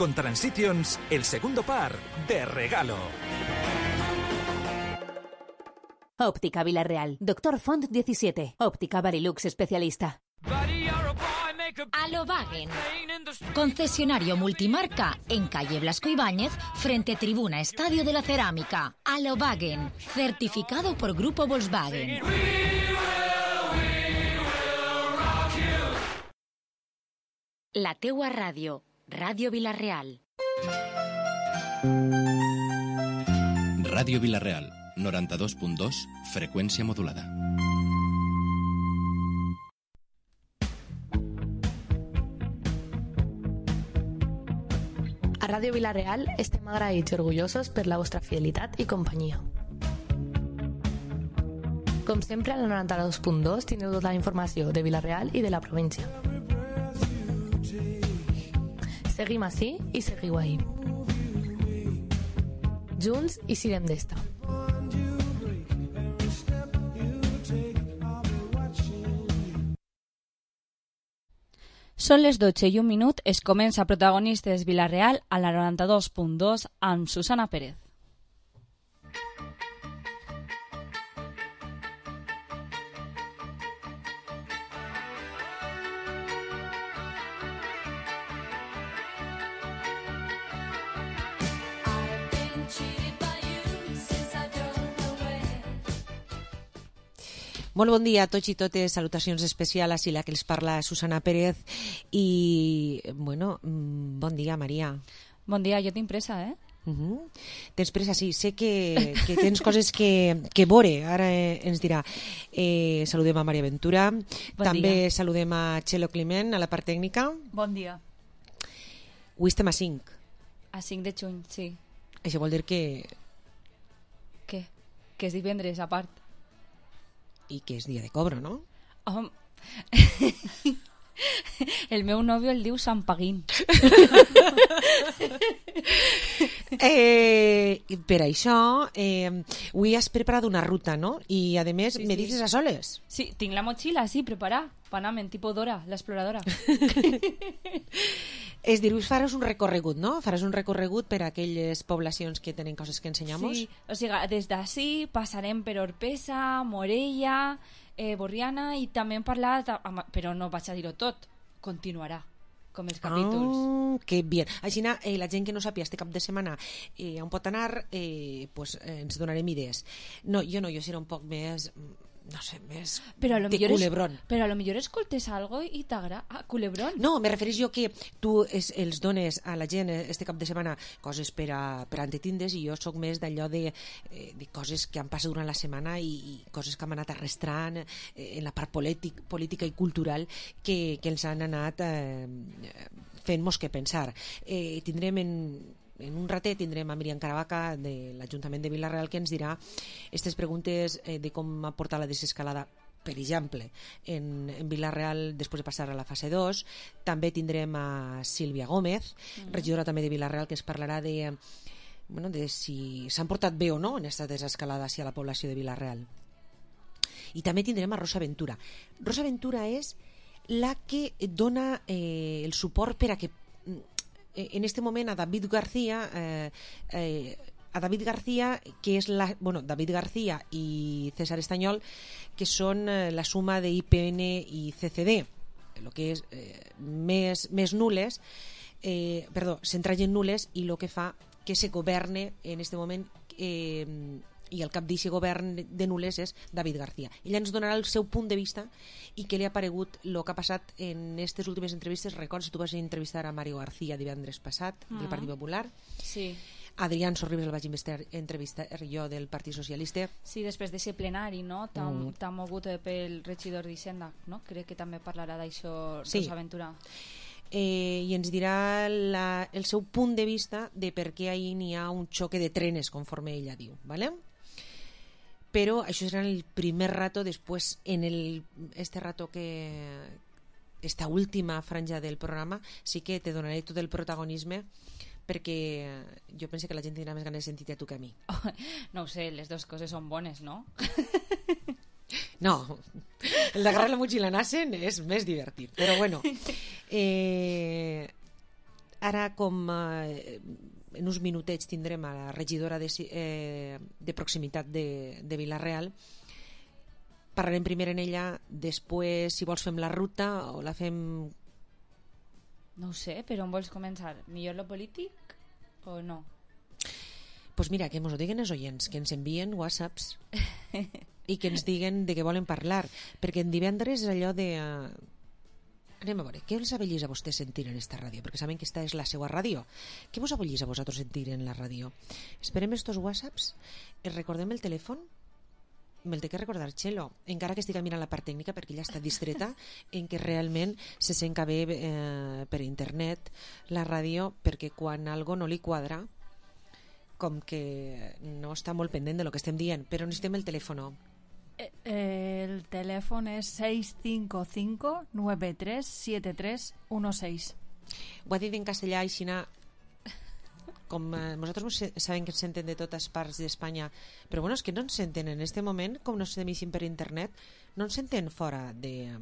Con Transitions, el segundo par de regalo. Óptica Villarreal. Doctor Font 17. Óptica Varilux especialista. Alobagen, concesionario multimarca en calle Blasco Ibáñez, frente tribuna Estadio de la Cerámica. Alobagen, certificado por Grupo Volkswagen. La teua ràdio, Ràdio Vilareal. Ràdio Vilareal, 92.2, freqüència modulada. A Ràdio Vilareal estem agraïts i orgullosos per la vostra fidelitat i companyia. Com sempre, a la 92.2 tindreu tota la informació de Vilareal i de la província. Seguim ací i seguiu ahí. Junts i sirem d'esta. Són les 12:01, es comença Protagonistes Vilareal a la 92.2 amb Susana Pérez. Molt bon dia a tots i totes, salutacions especials, així la que els parla Susana Pérez i, bueno, bon dia, Maria. Bon dia, jo tinc pressa, eh? Tens pressa, sí, sé que tens coses que veure, ara ens dirà. Saludem a Maria Ventura, també saludem a Txelo Climent, a la part tècnica. Bon dia. Avui estem a 5. A 5 de juny, sí. Això vol dir que... Què? Que és divendres, a part. I que és dia de cobro, no? El meu nòvio el diu Sant Paguín. Per això, avui has preparat una ruta, no? I, a més, me dices a soles. Sí, tinc la motxilla, sí, preparada. Panam, en tipus Dora, l'exploradora. És dir, faràs un recorregut, no? Faràs un recorregut per a aquelles poblacions que tenen coses que ensenyamos? Sí, o sigui, des d'ací passarem per Orpesa, Morella, Borriana i també hem parlat, però no vaig a dir-ho tot, continuarà, com els capítols. Que bé. Així, la gent que no sàpia este cap de setmana on pot anar, pues, ens donarem idees. No, jo seré un poc més... no sé, més de culebrón. Però a lo millor escoltes algo i t'agrada culebrón. No, me refereix jo que tu els dones a la gent este cap de setmana coses per a entretindes i jo sóc més d'allò de coses que han passat durant la setmana i coses que han anat arrastrant en la part política i cultural que ens han anat fent-nos que pensar. Tindrem en un ratet tindrem a Míriam Caravaca de l'Ajuntament de Vilareal que ens dirà aquestes preguntes de com ha portat la desescalada, per exemple, en Vilareal després de passar a la fase 2. També tindrem a Sílvia Gómez, regidora també de Vilareal, que es parlarà de si s'han portat bé o no en aquesta desescalada hacia la població de Vilareal. I també tindrem a Rosa Ventura. Rosa Ventura és la que dona el suport per a que en este moment a David García que és David García i César Estanyol, que són la suma de IPN i CCD, el que és més nules, centralles nules, i el que fa que se governe en este moment i el cap d'aquest govern de nules és David García. Ella ens donarà el seu punt de vista i què li ha paregut el que ha passat en aquestes últimes entrevistes. Records, tu vas entrevistar a Mario García divendres passat, del Partit Popular. Sí. Adrián Sorribes el vaig entrevistar jo del Partit Socialista. Sí, després d'aquest plenari, no? T'ha mogut pel regidor d'Hisenda, no? Crec que també parlarà d'això, sí. Rosa Ventura. I ens dirà el seu punt de vista de per què ahir n'hi ha un xoque de trenes, conforme ella diu, ¿vale? Però això serà el primer rato. Després, en este rato esta última franja del programa, sí que te donaré tot el protagonisme, perquè jo penso que la gent tindrà més ganes de sentir-te a tu que a mi. No ho sé, les dues coses són bones, no? No, el d'agarrar la motxilla en Assen és més divertit, però bueno. Ara, com en uns minutets tindrem a la regidora de proximitat de Vila-real, parlarem primer en ella, després, si vols, fem la ruta o la fem... No ho sé, però on vols començar? Millor lo polític o no? Pues mira, que ens ho diguen els oients, que ens envien whatsapps i que ens diguen de què volen parlar, perquè en divendres és allò de... Anem a veure, què els abollís a vostès sentir en esta ràdio? Perquè saben que esta és la seva ràdio. Què vos abollís a vosaltres sentir en la ràdio? Esperem estos whatsapps, recordem el telèfon, me'l té que recordar Txelo, encara que estigui mirant la part tècnica perquè ella està distreta en què realment se sent que ve per internet la ràdio, perquè quan algo no li quadra com que no està molt pendent de lo que estem dient, però necessitem el telèfon. El telèfon és 655-937316. Ho ha dit en castellà, Aixina, com nosaltres sabem que ens senten de totes parts d'Espanya, però bueno, és que no ens senten en este moment, com no ens sentim per internet, no ens senten fora de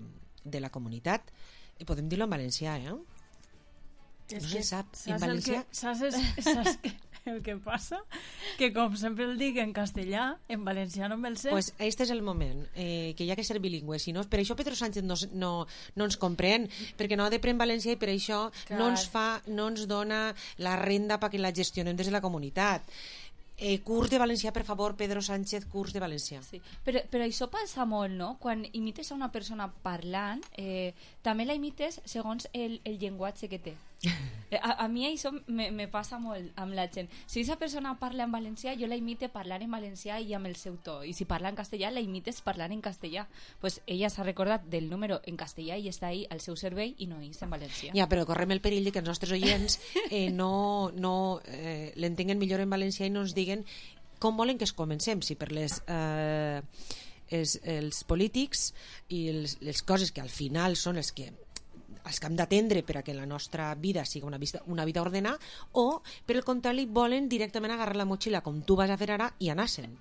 la comunitat. Podem dir-lo en valencià, no se sap. En valencià... Saps el que passa? Que com sempre el dic en castellà, en valencià no me'l sé. Pues este és el moment, que hi ha que ser bilingüe. Si no, per això Pedro Sánchez no ens comprèn, perquè no ha de prendre valencià i per això no ens dona la renda perquè la gestionem des de la comunitat. Curs de valencià, per favor, Pedro Sánchez, curs de valencià. Sí. Però això passa molt, no? Quan imites a una persona parlant, també la imites segons el llenguatge que té. A mi això me passa molt amb la gent. Si aquesta persona parla en valencià, jo la imite parlar en valencià i amb el seu to. I si parla en castellà, la imites parlant en castellà. Pues ella s'ha recordat del número en castellà i està ahí al seu servei i no és en valencià. Ja, però correm el perill de que els nostres oients l'entenguen millor en valencià i no ens diguen com volen que es comencem, si per els polítics i les coses que al final són els que hem d'atendre per a que la nostra vida sigui una vida ordenada, o per el contrari volen directament agarrar la motxilla com tu vas a fer ara i anar-se'n.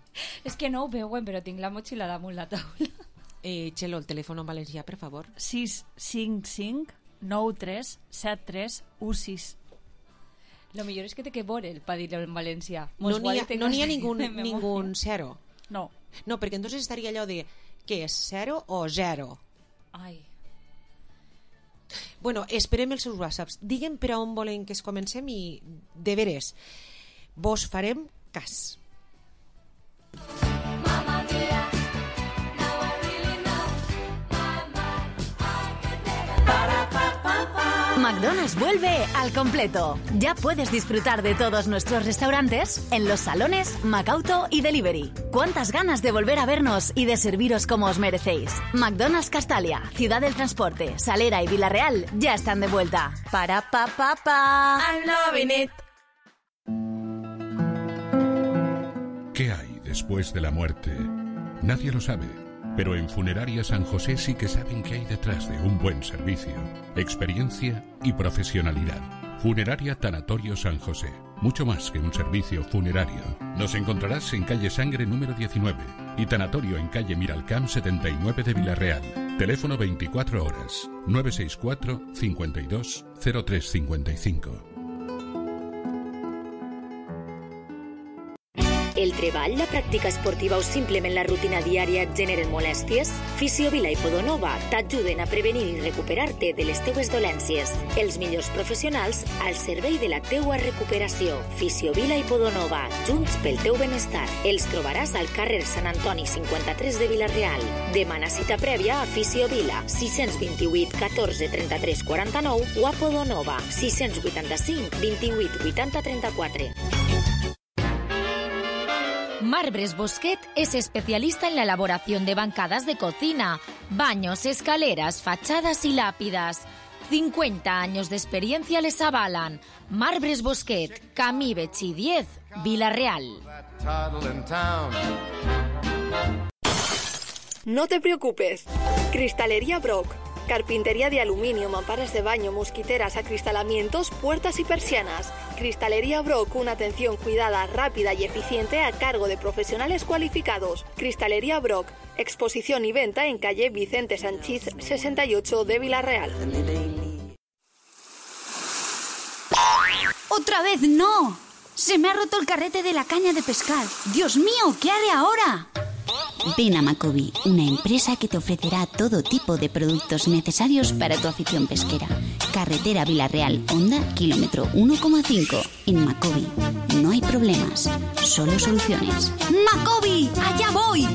És que no ho veuen, però tinc la motxilla damunt la taula. Txelo, el telèfon en valencià, per favor. 655-937316. Lo millor és que té que veure el pa dir-lo en valencià. No n'hi ha ningún zero. No, perquè entonces estaria allò de què és, 0 o 0? Ai. Bueno, esperem els seus whatsapps. Digue'm per a on volen que es comencem i de veres vos farem cas. McDonald's vuelve al completo. Ya puedes disfrutar de todos nuestros restaurantes en los salones, Macauto y Delivery. ¿Cuántas ganas de volver a vernos y de serviros como os merecéis? McDonald's Castalia, Ciudad del Transporte, Salera y Vila-real ya están de vuelta. Para pa pa pa. I'm loving it. ¿Qué hay después de la muerte? Nadie lo sabe. Pero en Funeraria San José sí que saben qué hay detrás de un buen servicio, experiencia y profesionalidad. Funeraria Tanatorio San José. Mucho más que un servicio funerario. Nos encontrarás en calle Sangre número 19 y Tanatorio en calle Miralcamp 79 de Vila-real. Teléfono 24 horas 964 52 0355. El treball, la pràctica esportiva o simplement la rutina diària et generen molèsties? Fisiovila i Podonova t'ajuden a prevenir i recuperar-te de les teues dolències. Els millors professionals al servei de la teua recuperació. Fisiovila i Podonova, junts pel teu benestar. Els trobaràs al carrer Sant Antoni 53 de Vila-real. Demana cita prèvia a Fisiovila 628 14 33 49 o a Podonova 685 28 80 34. Marbres Bosquet es especialista en la elaboración de bancadas de cocina, baños, escaleras, fachadas y lápidas. 50 años de experiencia les avalan. Marbres Bosquet, Camí Betxí 10, Vila-real. No te preocupes. Cristalería Brock. Carpintería de aluminio, mamparas de baño, mosquiteras, acristalamientos, puertas y persianas. Cristalería Brock, una atención cuidada, rápida y eficiente a cargo de profesionales cualificados. Cristalería Brock, exposición y venta en calle Vicente Sanchís 68 de Vila-real. ¡Otra vez no! Se me ha roto el carrete de la caña de pescar. ¡Dios mío! ¿Qué haré ahora? Ven a Macobi, una empresa que te ofrecerá todo tipo de productos necesarios para tu afición pesquera. Carretera Villarreal, Honda, kilómetro 1,5. En Macobi no hay problemas, solo soluciones. ¡Macobi! ¡Allá voy!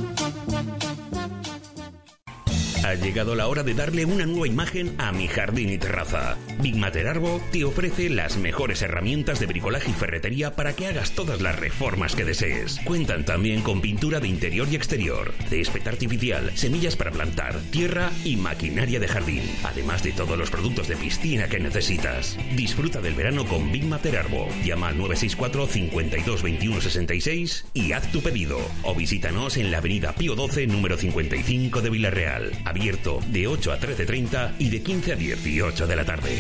Ha llegado la hora de darle una nueva imagen a mi jardín y terraza. Big Matter Arbo te ofrece las mejores herramientas de bricolaje y ferretería para que hagas todas las reformas que desees. Cuentan también con pintura de interior y exterior, césped artificial, semillas para plantar, tierra y maquinaria de jardín, además de todos los productos de piscina que necesitas. Disfruta del verano con Big Matter Arbo. Llama al 964 52 21 66 y haz tu pedido. O visítanos en la avenida Pío XII, número 55 de Villarreal. Abierto de 8 a 13:30 y de 15 a 18 de la tarde.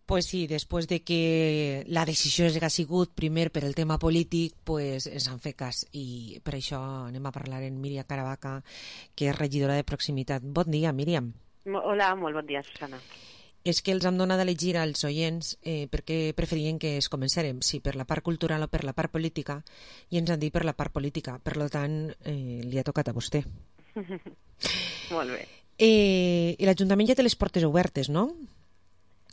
Pues sí, després de que la decisió ha sigut primer per el tema polític, pues ens han fet cas i per això anem a parlar amb Míriam Caravaca, que és regidora de proximitat. Bon dia, Míriam. Hola, molt bon dia, Susana. És que els hem donat a elegir als oients perquè preferien que es comencérem, si per la part cultural o per la part política, i ens han dit per la part política. Per tant, li ha tocat a vostè. Molt bé. I l'Ajuntament ja té les portes obertes, no?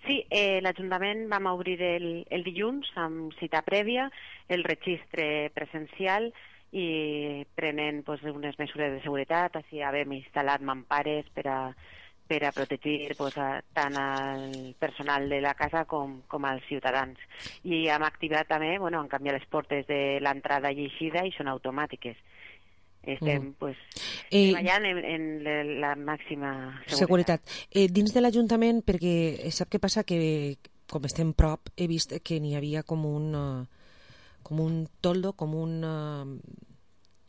Sí, l'Ajuntament vam obrir el dilluns amb cita prèvia, el registre presencial i prenent unes mesures de seguretat. Així hem instal·lat mampares per a protegir tant el personal de la casa com els ciutadans. I hem activat també, han canviat les portes de l'entrada i eixida i són automàtiques. Estem treballant en la màxima seguretat. Dins de l'Ajuntament, perquè sap què passa? Que com estem prop, he vist que n'hi havia com un toldo,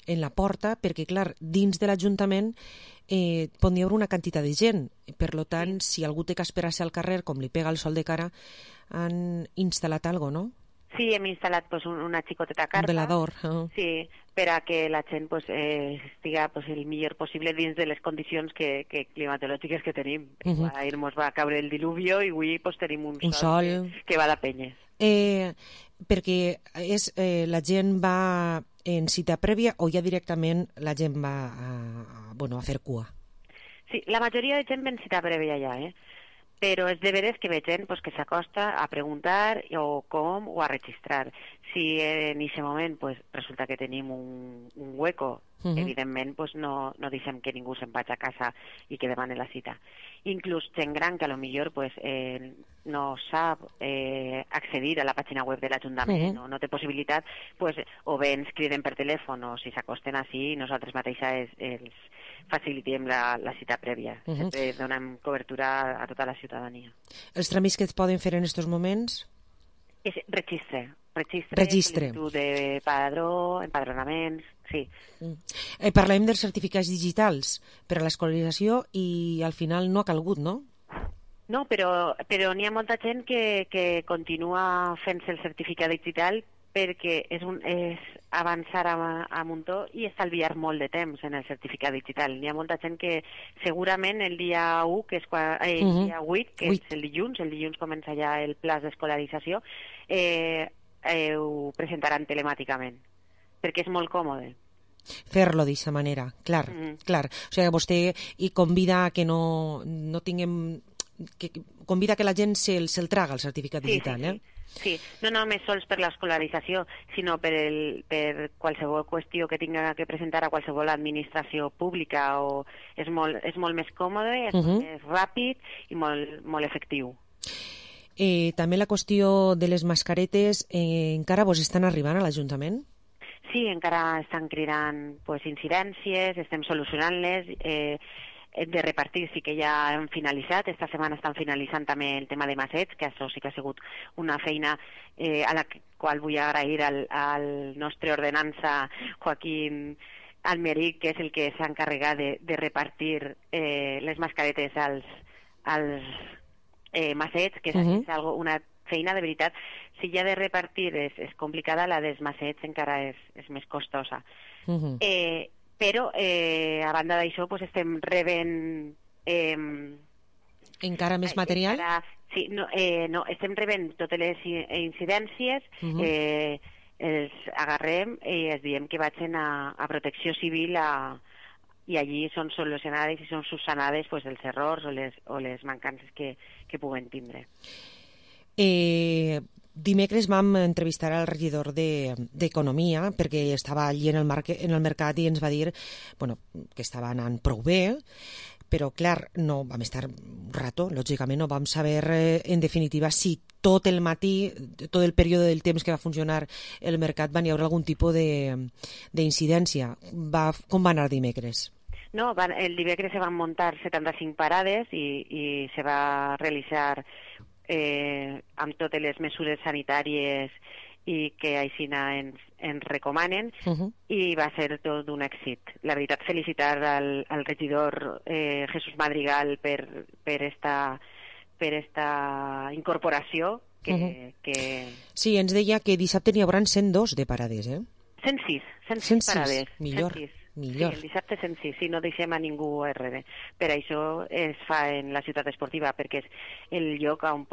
en la porta, perquè clar, dins de l'Ajuntament pot haver una quantitat de gent. Per tant, si algú té que esperar-se al carrer, com li pega el sol de cara, han instal·lat alguna cosa, no? Sí, hem instal·lat una xicoteta carpa. Un velador. Sí, per a que la gent estiga el millor possible dins de les condicions climatològiques que tenim. Ahir ens va caure el diluvio i avui tenim un sol que va de penyes. Perquè la gent va en cita prèvia o ja directament la gent va a fer cua? Sí, la majoria de gent va en cita prèvia ja, però és de veres que ve gent que s'acosta a preguntar o a registrar. Si en aquest moment resulta que tenim un hueco, evidentment no deixem que ningú se'n vagi a casa i que demani la cita. Inclús gent gran que potser no sap accedir a la pàgina web de l'Ajuntament o no té possibilitat, o bé ens criden per telèfon o si s'acosten així, nosaltres mateixes els facilitem la cita prèvia. Sempre donem cobertura a tota la ciutadania. Els tràmits que es poden fer en aquests moments? És registre, sol·licitud de padró, empadronaments, sí. Parlem dels certificats digitals per a l'escolarització i al final no ha calgut, no? No, però n'hi ha molta gent que continua fent-se el certificat digital perquè és avançar a muntó i estalviar molt de temps en el certificat digital. Hi ha molta gent que segurament el dia 1, que és el dia 8, que és el dilluns comença ja el pla d'escolarització, ho presentaran telemàticament, perquè és molt còmode. Fer-lo d'aquesta manera, clar. O sigui, vostè convida que no tinguem... convida que la gent se'l traga, el certificat digital, Sí, no només sols per l'escolarització, sinó per qualsevol qüestió que tinga que presentar a qualsevol administració pública. És molt més còmode, és molt més ràpid i molt efectiu. També la qüestió de les mascaretes, encara vos estan arribant a l'Ajuntament? Sí, encara estan cridant incidències, estem solucionant-les. De repartir sí que ja hem finalitzat. Esta setmana estan finalitzant també el tema de massets, que això sí que ha sigut una feina a la qual vull agrair al nostre ordenança Joaquín Almeric, que és el que s'ha encarregat de repartir les mascaretes als massets, que és una feina, de veritat, si ja de repartir és complicada, la dels massets encara és més costosa. Però, a banda d'això, pues, estem rebent... encara més material? Sí, no, estem rebent totes les incidències, els agarrem i els diem que vagin a Protecció Civil i allí són solucionades i són subsanades pues, els errors o les mancances que puguen tindre. Dimecres vam entrevistar al regidor d'Economia perquè estava allí en el mercat i ens va dir que estava anant prou bé, però clar, no vam estar un rato, lògicament no vam saber en definitiva si tot el matí, tot el període del temps que va funcionar el mercat va haver algun tipus d'incidència. Com va anar dimecres? No, el dimecres se van muntar 75 parades i se va realitzar amb totes les mesures sanitàries i que així ens recomanen i va ser tot un èxit. La veritat, felicitar al regidor Jesús Madrigal per esta incorporació que... Sí, ens deia que dissabte n'hi haurà 102 de parades, 106 parades. Millor. Sí, el dissabte 106, si no deixem a ningú darrere. Per això es fa en la ciutat esportiva, perquè és el lloc on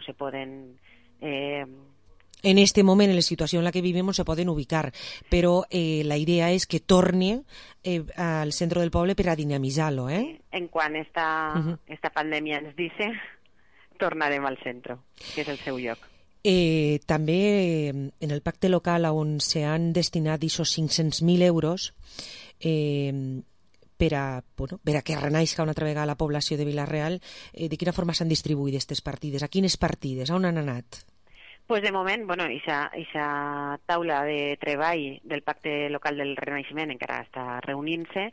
se poden... En este moment, en la situació en la que vivim, se poden ubicar, però la idea és que torni al centre del poble per a dinamitzar-lo, En quan esta pandèmia ens dice, tornarem al centre, que és el seu lloc. També en el pacte local on s'han destinat aquests 500.000 euros per a que renaixi una altra vegada la població de Vila-real, de quina forma s'han distribuït aquestes partides? A quines partides? On han anat? Pues de moment, aquesta taula de treball del pacte local del Renaixement encara està reunint-se,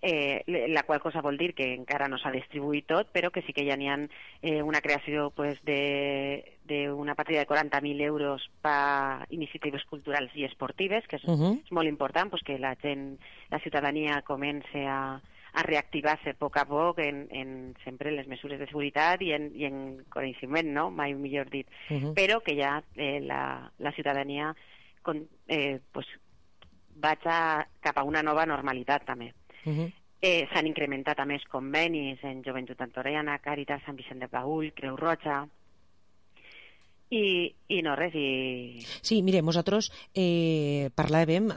la qual cosa vol dir que encara no s'ha distribuït tot, però que sí que ja n'hi ha una creació d'una partida de 40.000 euros per a iniciatives culturals i esportives, que és molt important, que la gent, la ciutadania comença a reactivar-se a poc a poc en sempre les mesures de seguretat i en coneixement, no? Mai millor dit. Però que ja la ciutadania vaig cap a una nova normalitat també. S'han incrementat a més convenis en Joventut Antoniana, Càritas, Sant Vicent de Paül, Creu Roja i no res. Sí, mire, nosaltres parlàvem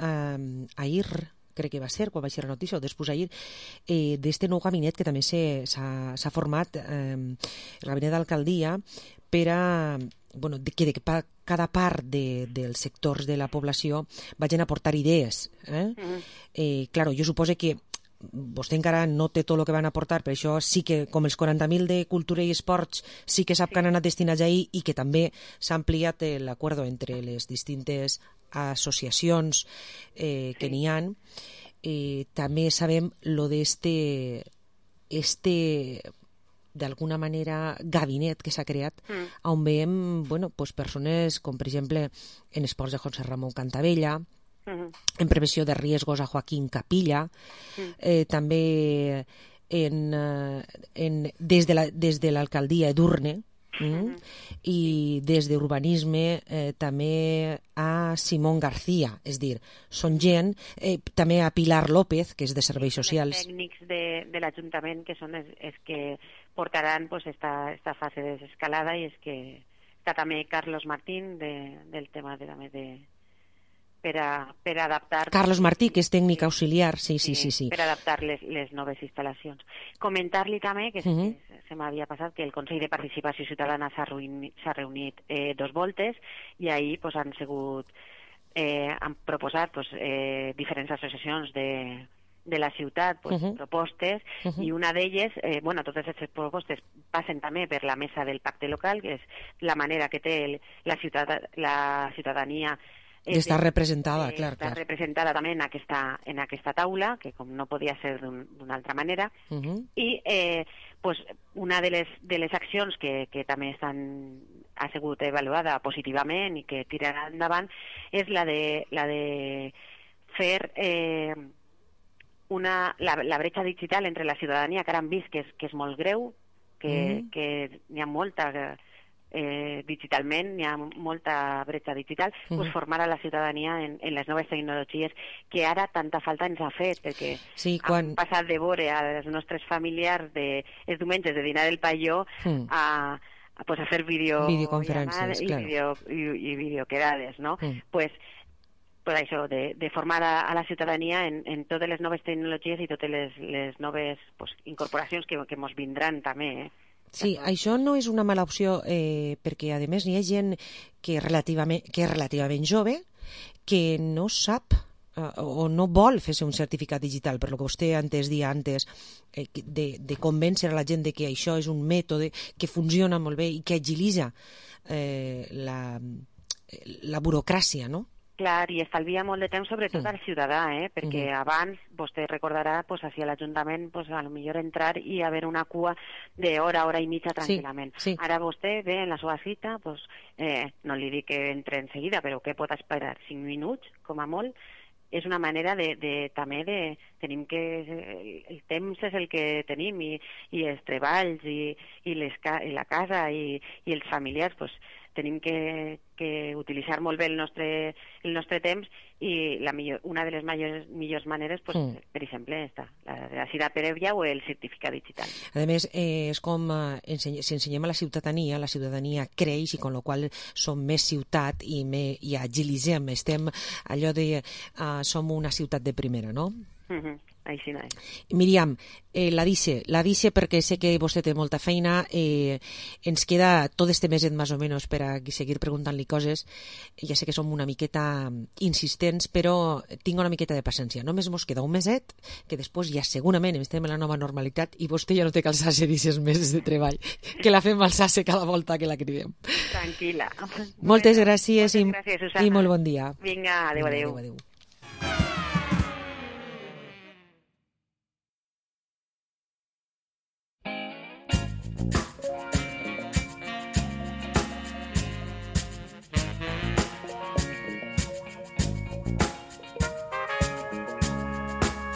ahir, crec que va ser, quan va ser la notícia, o després ahir, d'este nou gabinet que també s'ha format, el gabinet d'alcaldia, per a que cada part dels sectors de la població vagin a aportar idees. Claro, jo suposo que vostè encara no té tot el que van aportar, per això sí que, com els 40.000 de cultura i esports, sí que sap que han anat destinats ahir i que també s'ha ampliat l'acord entre les distintes associacions que n'hi ha. També sabem lo d'este d'alguna manera gabinet que s'ha creat on veiem persones com per exemple en esports de José Ramón Cantabella, en prevenció de riesgos a Joaquín Capilla, també des de l'alcaldia Edurne, i des d'urbanisme també a Simón García, és dir, són gent, també a Pilar López, que és de Serveis Socials. Els tècnics de l'Ajuntament que són els que portaran esta fase de desescalada, i és que està també Carlos Martín del tema de per adaptar... Carlos Martí, que és tècnic auxiliar, sí. Per adaptar les noves instal·lacions. Comentar-li també, que se m'havia passat, que el Consell de Participació Ciutadana s'ha reunit 2 voltes i ahir han proposat diferents associacions de la ciutat propostes, i una d'elles, totes aquestes propostes passen també per la mesa del pacte local, que és la manera que té la ciutadania d'estar representada, clar. Està representada també en aquesta taula, que com no podia ser d'una altra manera, i una de les accions que també ha sigut avaluada positivament i que tirarà endavant és la de fer la bretxa digital entre la ciutadania, que ara hem vist que és molt greu, que n'hi ha molta digitalment, hi ha molta bretxa digital, pues formar a la ciutadania en les noves tecnologies que ara tanta falta ens ha fet, perquè hem passat de veure als nostres familiars els diumenges de dinar del paió a fer videoconferències i videoquedades, no? Pues això, de formar a la ciutadania en totes les noves tecnologies i totes les noves incorporacions que ens vindran també. Sí, això no és una mala opció perquè, a més, hi ha gent que és relativament jove que no sap o no vol fer-se un certificat digital, per lo que vostè antes dia antes de convèncer a la gent de que això és un mètode que funciona molt bé i que agilitza la burocràcia, no? Clar, i estalvia molt de temps sobretot al ciutadà, perquè abans, vostè recordarà, així a l'Ajuntament, a lo millor entrar i haver una cua d'hora i mitja tranquil·lament. Ara vostè ve en la seva cita, no li dic que entre en seguida, però que pot esperar 5 minuts, com a molt. És una manera també de... Tenim que... El temps és el que tenim i els treballs i la casa i els familiars, tenim que utilitzar molt bé el nostre temps i una de les millors maneres, per exemple, la cita prèvia o el certificat digital. A més, és com si ensenyem a la ciutadania creix i amb la qual som més ciutat i agilitzem, estem allò de som una ciutat de primera, no? Així no és. Míriam, la dice perquè sé que vostè té molta feina, ens queda tot este meset més o menys per a seguir preguntant-li coses. Ja sé que som una miqueta insistents, però tinc una miqueta de paciència. Només mos queda un meset, que després ja segurament estem en la nova normalitat i vostè ja no té que alçar-se d'aquests mesos de treball, que la fem alçar-se cada volta que la cridem. Tranquil·la. Moltes gràcies i molt bon dia. Vinga, adéu.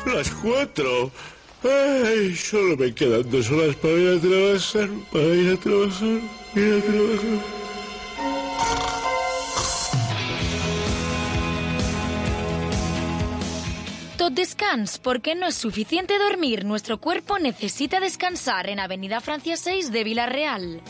Las 4. Ay, solo me quedan 2 horas para ir a trabajar. Tot descans, porque no es suficiente dormir. Nuestro cuerpo necesita descansar en Avenida Francia 6 de Vila-real.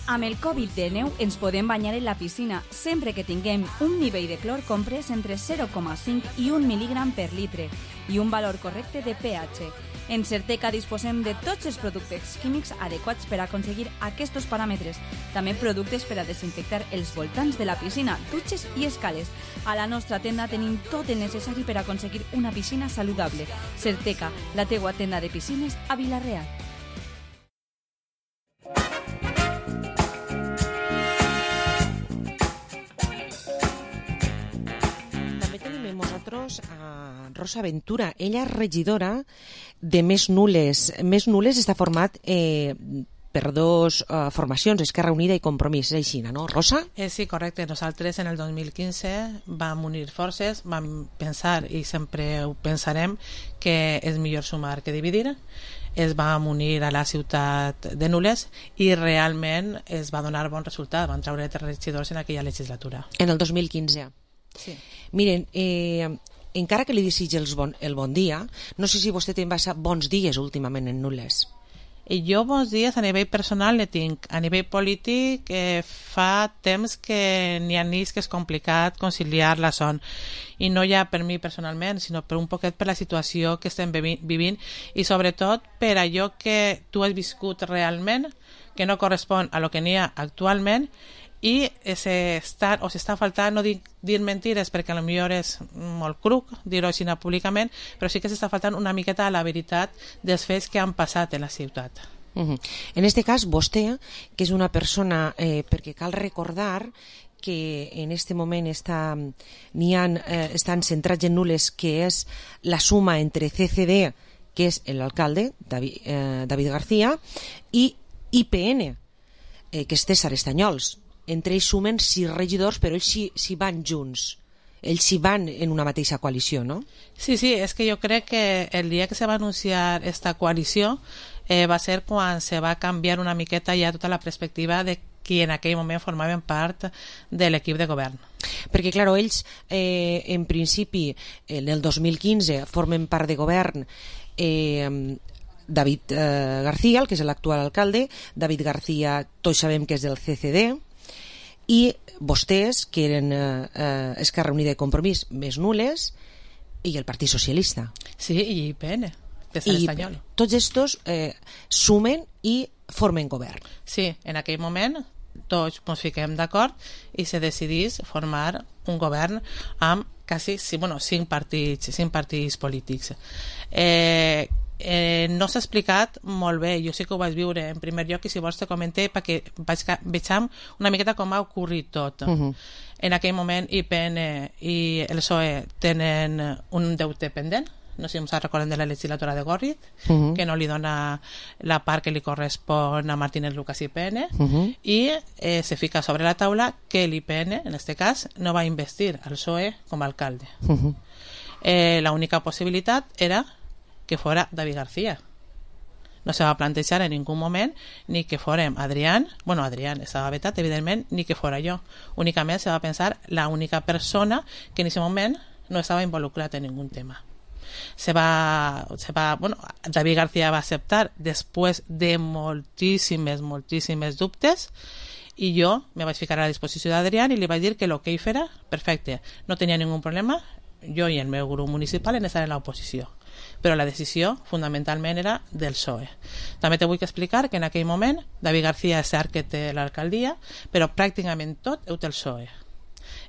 Amb el Covid-19 ens podem banyar en la piscina sempre que tinguem un nivell de clor comprès entre 0,5 i 1 mil·lígram per litre i un valor correcte de pH. En Certeca disposem de tots els productes químics adequats per aconseguir aquests paràmetres. També productes per a desinfectar els voltants de la piscina, dutxes i escales. A la nostra tenda tenim tot el necessari per aconseguir una piscina saludable. Certeca, la teua tenda de piscines a Vila-real. A Rosa Ventura, ella és regidora de Més Nules. Més Nules està format per 2 formacions, Esquerra Unida i Compromís, és així, no, Rosa? Sí, correcte. Nosaltres en el 2015 vam unir forces, vam pensar, i sempre ho pensarem, que és millor sumar que dividir. Es vam unir a la ciutat de Nules i realment es va donar bon resultat. Van treure 3 regidors en aquella legislatura. En el 2015. Sí. Miren, encara que li desitgi el bon dia, no sé si vostè té bons dies últimament en Nules. Jo bons dies a nivell personal ne tinc. A nivell polític fa temps que n'hi ha nits que és complicat conciliar la son. I no ja per mi personalment, sinó per un poquet per la situació que estem vivint i sobretot per allò que tu has viscut realment, que no correspon a lo que n'hi ha actualment, i s'està faltant, no dir mentides perquè potser és molt cruc dir-ho així públicament, però sí que s'està faltant una miqueta a la veritat dels fets que han passat en la ciutat. En este cas, vostè, que és una persona, perquè cal recordar que en este moment estan centrats en Nules, que és la suma entre CCD, que és l'alcalde, David García, i IPN, que és César Estanyols. Entre ells sumen 6 regidors, però ells s'hi van junts. Ells s'hi van en una mateixa coalició, no? Sí, és que jo crec que el dia que se va anunciar esta coalició va ser quan se va canviar una miqueta ja tota la perspectiva de qui en aquell moment formaven part de l'equip de govern. Perquè, clar, ells en principi en el 2015 formen part de govern David García, el que és l'actual alcalde. David García tots sabem que és del CCD, i vostès, que eren Esquerra Unida i Compromís més nules, i el Partit Socialista. Sí, i IPN, de Sant Espanyol. Tots estos sumen i formen govern. Sí, en aquell moment tots ens fiquem d'acord i se decidís formar un govern amb quasi 5 partits polítics. No s'ha explicat molt bé, jo sí que ho vaig viure en primer lloc i si vols te comenté perquè vegem una miqueta com ha ocorrit tot. En aquell moment IPN i el PSOE tenen un deute pendent, no sé si ens recorden de la legislatura de Gorrit, que no li dona la part que li correspon a Martínez Lucas IPN, i se fica sobre la taula que l'IPN, en este cas, no va investir al PSOE com a alcalde. La única possibilitat era que fora David García. No se va plantejar en ningú moment ni que fórem Adrián estava vetat, evidentment, ni que fora jo. Únicament se va pensar la única persona que en aquest moment no estava involucrat en ningú tema. David García va acceptar després de moltíssimes dubtes, i jo me vaig ficar a la disposició d'Adrián i li vaig dir que el que ell fera, perfecte, no tenia ningú problema, jo i el meu grup municipal en estar en l'oposició, però la decisió fundamentalment era del PSOE. També te vull explicar que en aquell moment David García és cert que té l'alcaldia, però pràcticament tot ho té el PSOE.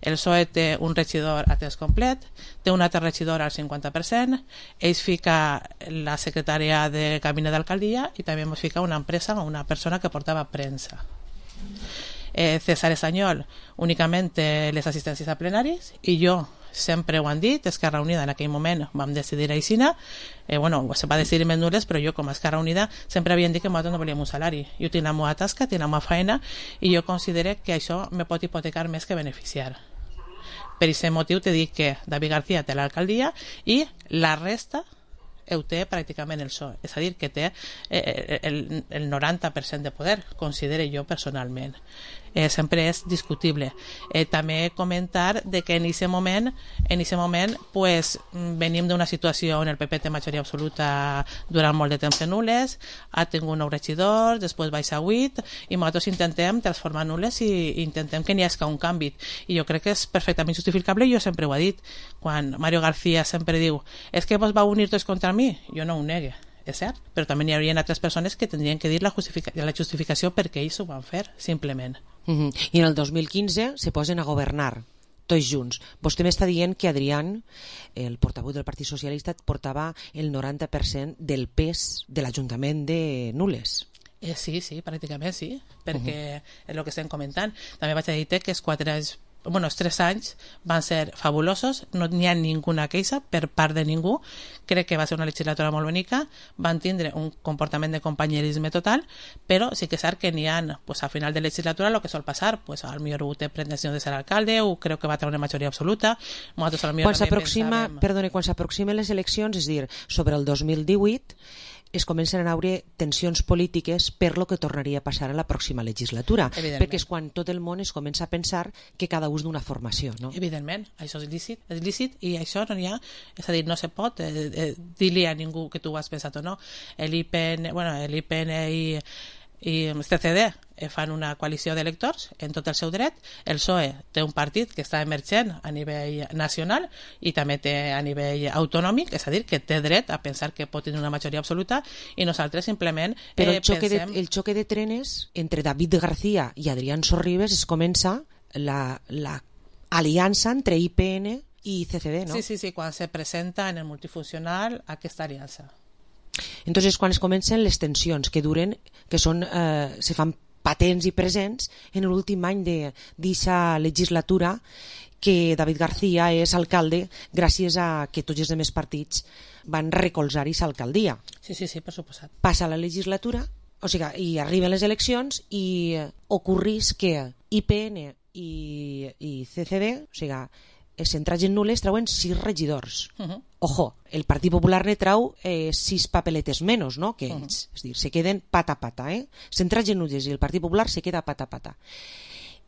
El PSOE té un regidor a temps complet, té un altre regidor al 50%, ells fica la secretària de cabinet d'alcaldia i també ens fica una empresa o una persona que portava premsa. César Estañol únicament té les assistències a plenaris i jo sempre ho han dit, Esquerra Unida en aquell moment vam decidir aixina, se va decidir més nules, però jo com a Esquerra Unida sempre havien dit que nosaltres no volíem un salari, jo tinc la meva tasca, tinc la meva feina i jo considero que això me pot hipotecar més que beneficiar. Per aquest motiu te dic que David García té l'alcaldia i la resta ho té pràcticament el PSOE, és a dir, que té el 90% de poder, considero jo personalment. Sempre és discutible. També comentar de que en aquest moment pues, venim d'una situació on el PP té majoria absoluta durant molt de temps en nules, ha tingut 9 regidors, després baixa 8 i nosaltres intentem transformar nules i intentem que n'hi hagi un canvi, i jo crec que és perfectament justificable. Jo sempre ho he dit, quan Mario García sempre diu és que vos va unir tots contra mi, jo no ho negue, és cert, però també n'hi haurien altres persones que tindrien que dir la justificació perquè ells ho van fer, simplement. I en el 2015 se posen a governar tots junts. Vostè m'està dient que Adrián, el portaveu del Partit Socialista, portava el 90% del pes de l'Ajuntament de Nules. Sí, pràcticament sí, perquè és el que estem comentant. També vaig a dir que els 3 anys van ser fabulosos, no n'hi ha ninguna queixa per part de ningú, crec que va ser una legislatura molt bonica, van tindre un comportament de companyerisme total, però sí que és cert que n'hi ha, a final de legislatura, el que sol passar, al millor ho té pretensió de ser alcalde, o crec que va tenir una majoria absoluta. Quan s'aproximen les eleccions, és a dir, sobre el 2018, es comencen a veure tensions polítiques per lo que tornaria a passar a la pròxima legislatura, perquè és quan tot el món es comença a pensar que cada un és d'una formació, no? Evidentment, això és lícit i això no n'hi ha, és a dir, no se pot dir-li a ningú que tu ho has pensat o no. L'IPN i el CCD fan una coalició d'electors en tot el seu dret. El PSOE té un partit que està emergent a nivell nacional i també té a nivell autonòmic, és a dir, que té dret a pensar que pot tenir una majoria absoluta, i nosaltres simplement Però el xoque de trenes entre David García i Adrián Sorribes es comença l'aliança entre IPN i CCD, no? Sí, quan se presenta en el multifuncional aquesta aliança. Entonces, quan es comencen les tensions que duren, que són, se fan patents i presents en l'últim any d'aquesta legislatura, que David García és alcalde gràcies a que tots els altres partits van recolzar aquesta alcaldia. Sí, per suposat. Passa la legislatura, i arriben les eleccions i ocorrís que IPN i CCD, centrats en nules, trauen 6 regidors. Ojo, el Partit Popular ne trau 6 papeletes menys, no?, que ells. És a dir, se queden pata a pata, centrats en nules, i el Partit Popular se queda pata a pata.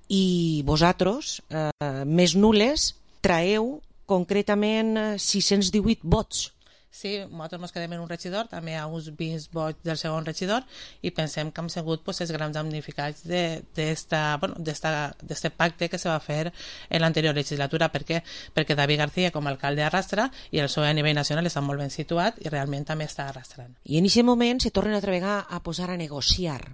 I vosaltres, més nules, traeu concretament 618 vots. Sí, nosaltres ens quedem en un regidor, també hi ha uns 20 vots del segon regidor, i pensem que hem sigut els grans damnificats d'aquest pacte que se va fer en l'anterior legislatura. Per què? Perquè David García, com a alcalde, arrastra, i el PSOE a nivell nacional està molt ben situat i realment també està arrastrant. I en aquest moment se tornen altra vegada a posar a negociar.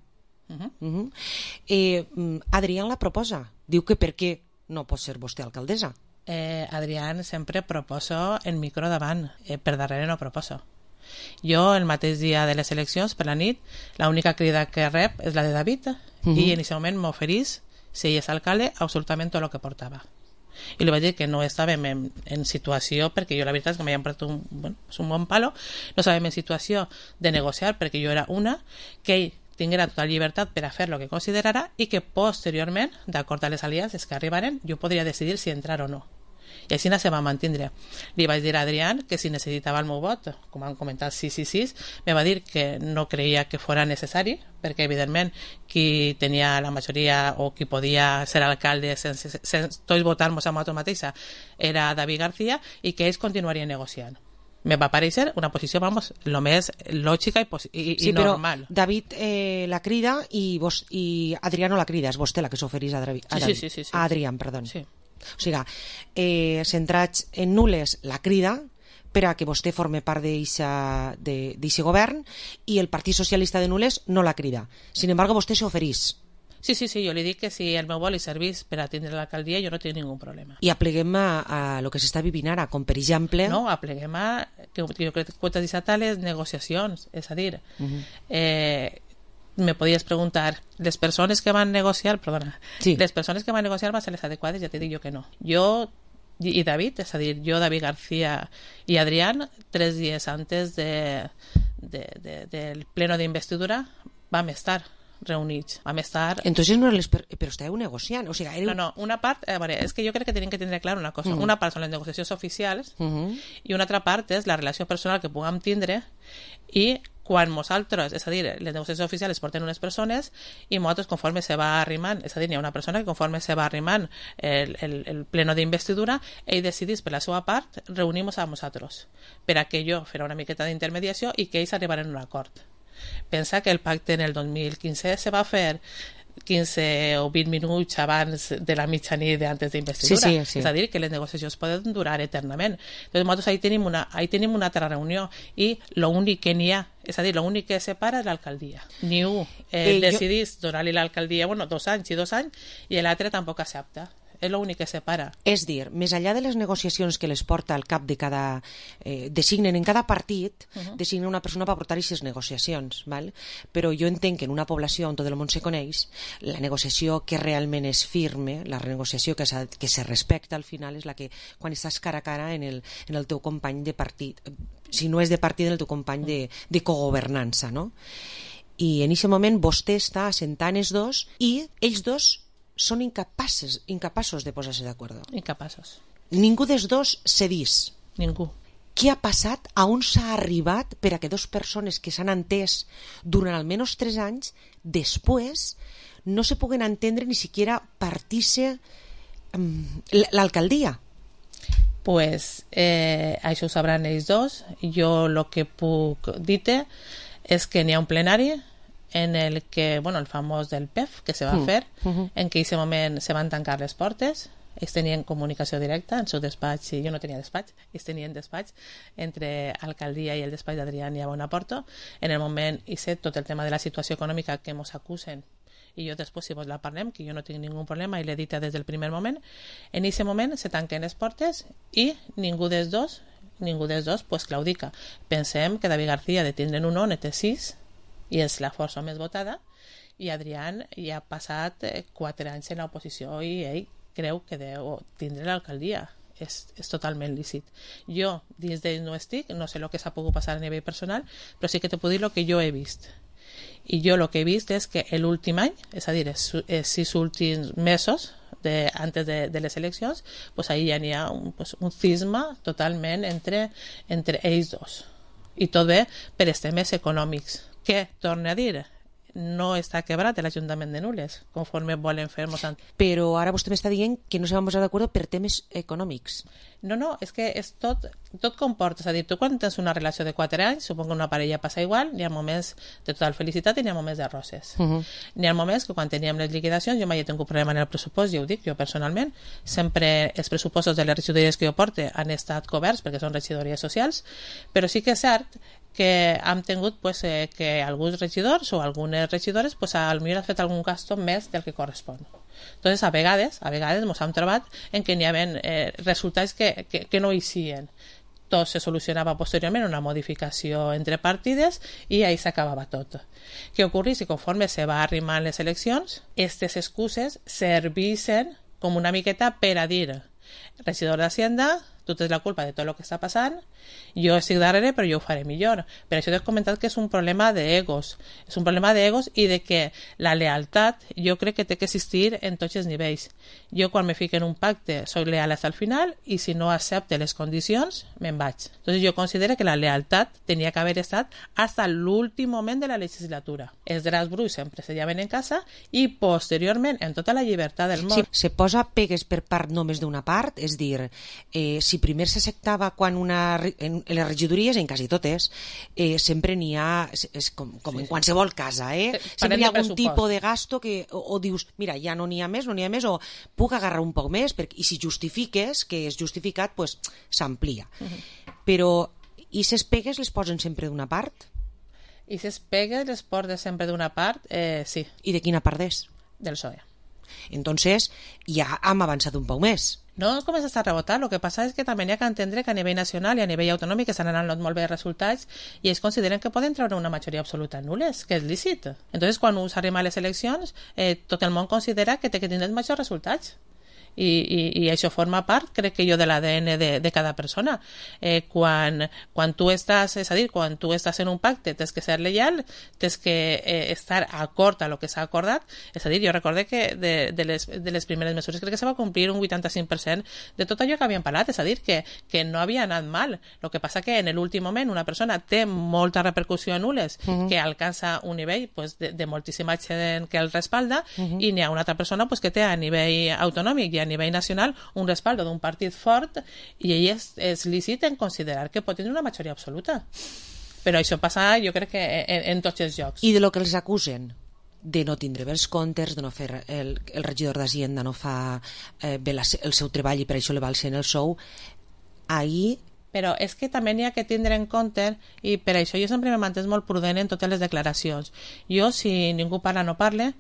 Adrián la proposa. Diu que per què no pot ser vostè alcaldessa. Adrián sempre proposo en micro davant, per darrere no proposo. Jo el mateix dia de les eleccions, per la nit, l'única crida que rep és la de David, i en aquest moment m'oferís, si ell és alcalde, absolutament tot el que portava. I li vaig dir que no estàvem en situació, perquè jo la veritat és que m'havien posat un bon palo, no estàvem en situació de negociar, perquè jo era una, que ell tinguera total llibertat per a fer el que considerara, i que posteriorment, d'acord a les aliances que arribaren, jo podria decidir si entrar o no. I així se va mantindre. Li vaig dir a Adrián que si necessitava el meu vot, com han comentat 6, me va dir que no creia que fora necessari, perquè evidentment qui tenia la majoria o qui podia ser alcalde sense tots votar-nos a nosaltres mateixa era David García, i que ells continuarien negociant. Me va parèixer una posició, vamos, lo més lògica i normal. Però David la crida i Adrián no la crida, és vostè la que s'oferís a Adrián, perdó. Sí. O sigui, centrats en nules la crida per a que vostè forme part d'aquest govern, i el Partit Socialista de nules no la crida. Sin embargo, vostè s'oferís. Sí, jo li dic que si el meu vol li servís per atendre l'alcaldia, jo no tinc ningú problema. I apleguem a lo que s'està vivint ara, com per exemple... No, apleguem a, que jo crec que t'has dit, a les negociacions, és a dir... me podies preguntar, les persones que van negociar, les persones que van negociar van ser les adequades, ja t'he dit jo que no. Jo i David, és a dir, jo, David García i Adrián, 3 dies antes del pleno d'investidura vam estar reunits, vam estar... Entonces no però estàveu negociant, o sigui... No, una part, a veure, és que jo crec que tenim que tindre clar una cosa. Una part són les negociacions oficials i una altra part és la relació personal que puguem tindre, i quan nosaltres, és a dir, les negociacions oficials porten unes persones i nosaltres conforme se va arrimant, és a dir, hi ha una persona que conforme se va arrimant el pleno d'investidura, ell decidís per la seva part reunir-nos a nosaltres, per a que jo fera una miqueta d'intermediació i que ells arribaren a un acord. Pensa que el pacte en el 2015 se va fer 15 o 20 minuts abans de la mitjanit d'antes d'investidura. Sí. És a dir, que les negociacions poden durar eternament. Entonces, nosaltres ahí tenim una altra reunió, i l'únic que n'hi ha, és a dir, l'únic que separa és l'alcaldia. Ni un decidís donar-li l'alcaldia, 2 anys i 2 anys, i l'altre tampoc accepta. És l'únic que separa. És dir, més enllà de les negociacions que les porta al cap de cada... designen en cada partit, designen una persona per portar aquestes negociacions, val? Però jo entenc que en una població on tot el món se coneix, la negociació que realment és firme, la negociació que se respecta al final, és la que quan estàs cara a cara en el teu company de partit, si no és de partit, en el teu company de cogovernança, no? I en aquest moment vostè està assentant els dos, i ells dos són incapaços de posar-se d'acord. Incapaços. Ningú dels dos cedís. Ningú. Què ha passat? A on s'ha arribat per a que dues persones que s'han entès durant almenys 3 anys, després no se puguen entendre ni siquiera partir-se l'alcaldia? Pues això ho sabran ells dos. Jo el que puc dir-te és que n'hi ha un plenari en el que, el famós del PEF que se va fer, en què en aquest moment se van tancar les portes, ells tenien comunicació directa en el seu despatx, i jo no tenia despatx, ells tenien despatx entre alcaldia i el despatx d'Adrián i a Bonaporto. En el moment, i sé tot el tema de la situació econòmica que ens acusen, i jo després, si vos la parlem, que jo no tinc ningú problema i l'he dit des del primer moment, en aquest moment se tanquen les portes i ningú dels dos pues claudica. Pensem que David García de tindre'n un no té 6 i és la força més votada, i Adrián ja ha passat 4 anys en l'oposició i ell creu que deu tindre l'alcaldia. És totalment lícit. Jo dins d'ell no estic, no sé el que s'ha pogut passar a nivell personal, però sí que te puc dir el que jo he vist. I jo el que he vist és que l'últim any, és a dir, els 6 últims mesos antes de les eleccions, pues ahí ja n'hi ha un cisma totalment entre ells dos. I tot bé per els temes econòmics. Què torna a dir? No està quebrat l'Ajuntament de Nules, conforme volen fer-nos. Però ara vostè m'està dient que no se van posar d'acord per temes econòmics. No, és que és tot comporta. És a dir, tu quan tens una relació de 4 anys, supongo que una parella passa igual, n'hi ha moments de total felicitat i n'hi ha moments de roses. N'hi ha moments que quan teníem les liquidacions, jo mai he tingut problema en el pressupost, ja ho dic, jo personalment, sempre els pressupostos de les regidories que jo porte han estat coberts perquè són regidories socials, però sí que és cert que hem tingut que alguns regidors o algunes regidores potser han fet algun gasto més del que correspon. Entonces, a vegades ens hem trobat en què n'hi havia resultats que no eixien. Tot se solucionava posteriorment una modificació entre partides i ahí s'acabava tot. Què ocorre si conforme se va arrimant les eleccions, aquestes excuses servissen com una miqueta per a dir regidor d'Hacienda, tu tens la culpa de tot el que està passant, jo estic darrere però jo ho faré millor. Per això t'he comentat que és un problema d'egos, és un problema d'egos i de que la lealtat jo crec que té que existir en tots els nivells. Jo quan me fico en un pacte soy leal hasta el final i si no accepte les condicions me'n vaig. Entonces jo considero que la lealtat tenia que haver estat hasta l'últim moment de la legislatura. Els draps bruts sempre se lleven en casa i posteriorment en tota la llibertat del món. Se posa pegues per part només d'una part, és dir, si primer s'acceptava quan en les regidories, en quasi totes, sempre n'hi ha, és com en qualsevol casa, sempre hi ha algun tipus de gasto que o dius, mira, ja no n'hi ha més, o puc agarrar un poc més, i si justifiques que és justificat, doncs s'amplia. Però, i ses pegues les posen sempre d'una part? I ses pegues les posen sempre d'una part, sí. I de quina part és? Del PSOE. Entonces, ja hem avançat un poc més. No comença a rebotar, el que passa és que també hi ha que entendre que a nivell nacional i a nivell autonòmic estan anant molt bé els resultats i ells consideren que poden treure una majoria absoluta nules, que és lícit. Entonces, quan s'arriba a les eleccions, tot el món considera que té que tindre els majors resultats. I això forma part, crec que jo, de l'ADN de cada persona. Quan tu estàs, és a dir, quan tu estàs en un pacte tens que ser lleial, tens que estar acord a lo que s'ha acordat. És a dir, jo recorde que de les primeres mesures crec que se va complir un 85% de tot allò que havíem parlat, és a dir, que no havia anat mal. El que passa que en l'últim moment una persona té molta repercussió en Nules, que alcança un nivell de moltíssima gent que el respalda, i n'hi ha una altra persona que té a nivell autonòmic i a nivell nacional un respaldo d'un partit fort i ell és lícit en considerar que pot tenir una majoria absoluta. Però això passa, jo crec que en tots els llocs. I de lo que els acusen? De no tindre bé els comptes, de no fer el regidor d'Hacienda no fa bé el seu treball i per això li balsen el sou, ahir... Però és que també n'hi ha que tindre en compte i per això jo sempre me mantenc molt prudent en totes les declaracions. Jo, si ningú parla, no parle,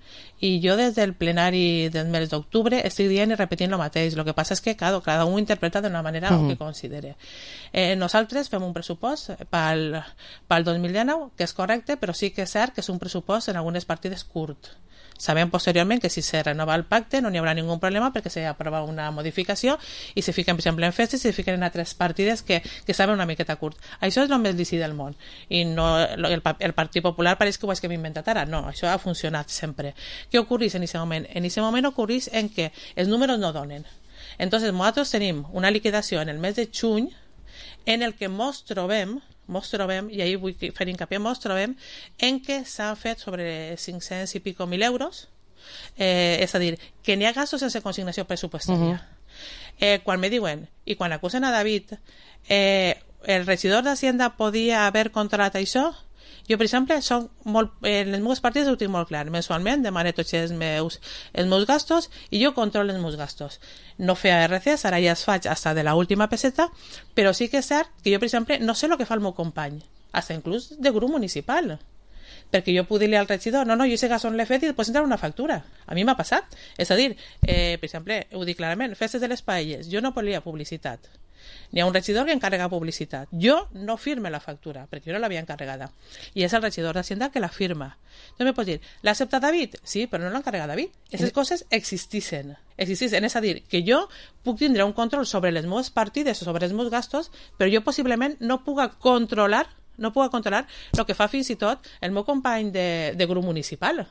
i jo des del plenari del mes d'octubre estic dient i repetint el mateix. El que passa és que cada un interpreta d'una manera el que considere. Nosaltres fem un pressupost pel 2019 que és correcte, però sí que és cert que és un pressupost en algunes partides curt. Sabem posteriorment que si se renova el pacte no n'hi haurà ningú problema perquè s'aprova una modificació i se fiquen, per exemple, en festes i se fiquen en altres partides que saben una miqueta curt. Això és el més lícit del món i no, el Partit Popular pareix que ho és que m'he inventat ara. No, això ha funcionat sempre. Què ocorreix en aquest moment? En aquest moment ocorreix en què els números no donen. Entonces, nosaltres tenim una liquidació en el mes de juny en el que mos trobem, i ahir vull fer hincapié, mos trobem en què s'han fet sobre 500 i pico mil euros, és a dir, que n'hi ha gastos sense consignació pressupostària. Quan me diuen, i quan acusen a David, el regidor d'Hacienda podia haver controlat això, jo, per exemple, en les meves partides ho tinc molt clar. Mensualment demane tots els meus gastos i jo controlo els meus gastos. No feia RCs, ara ja es faig fins de l'última peseta, però sí que és cert que jo, per exemple, no sé el que fa el meu company, fins inclús de grup municipal. Perquè jo puc dir-li al regidor, no, jo aquest gasto no l'he fet i després entrar una factura. A mi m'ha passat. És a dir, per exemple, ho dic clarament, festes de les paelles, jo no volia publicitat. N'hi ha un regidor que encarrega publicitat. Jo no firme la factura, perquè jo no l'havia encarregada. I és el regidor d'Hacienda que la firma. Entonces me pots dir, l'ha acceptat David? Sí, però no l'ha encarregat David. Aquestes coses existixen. És a dir, que jo puc tindre un control sobre les meves partides o sobre els meus gastos, però jo possiblement no puc controlar el que fa fins i tot el meu company de grup municipal.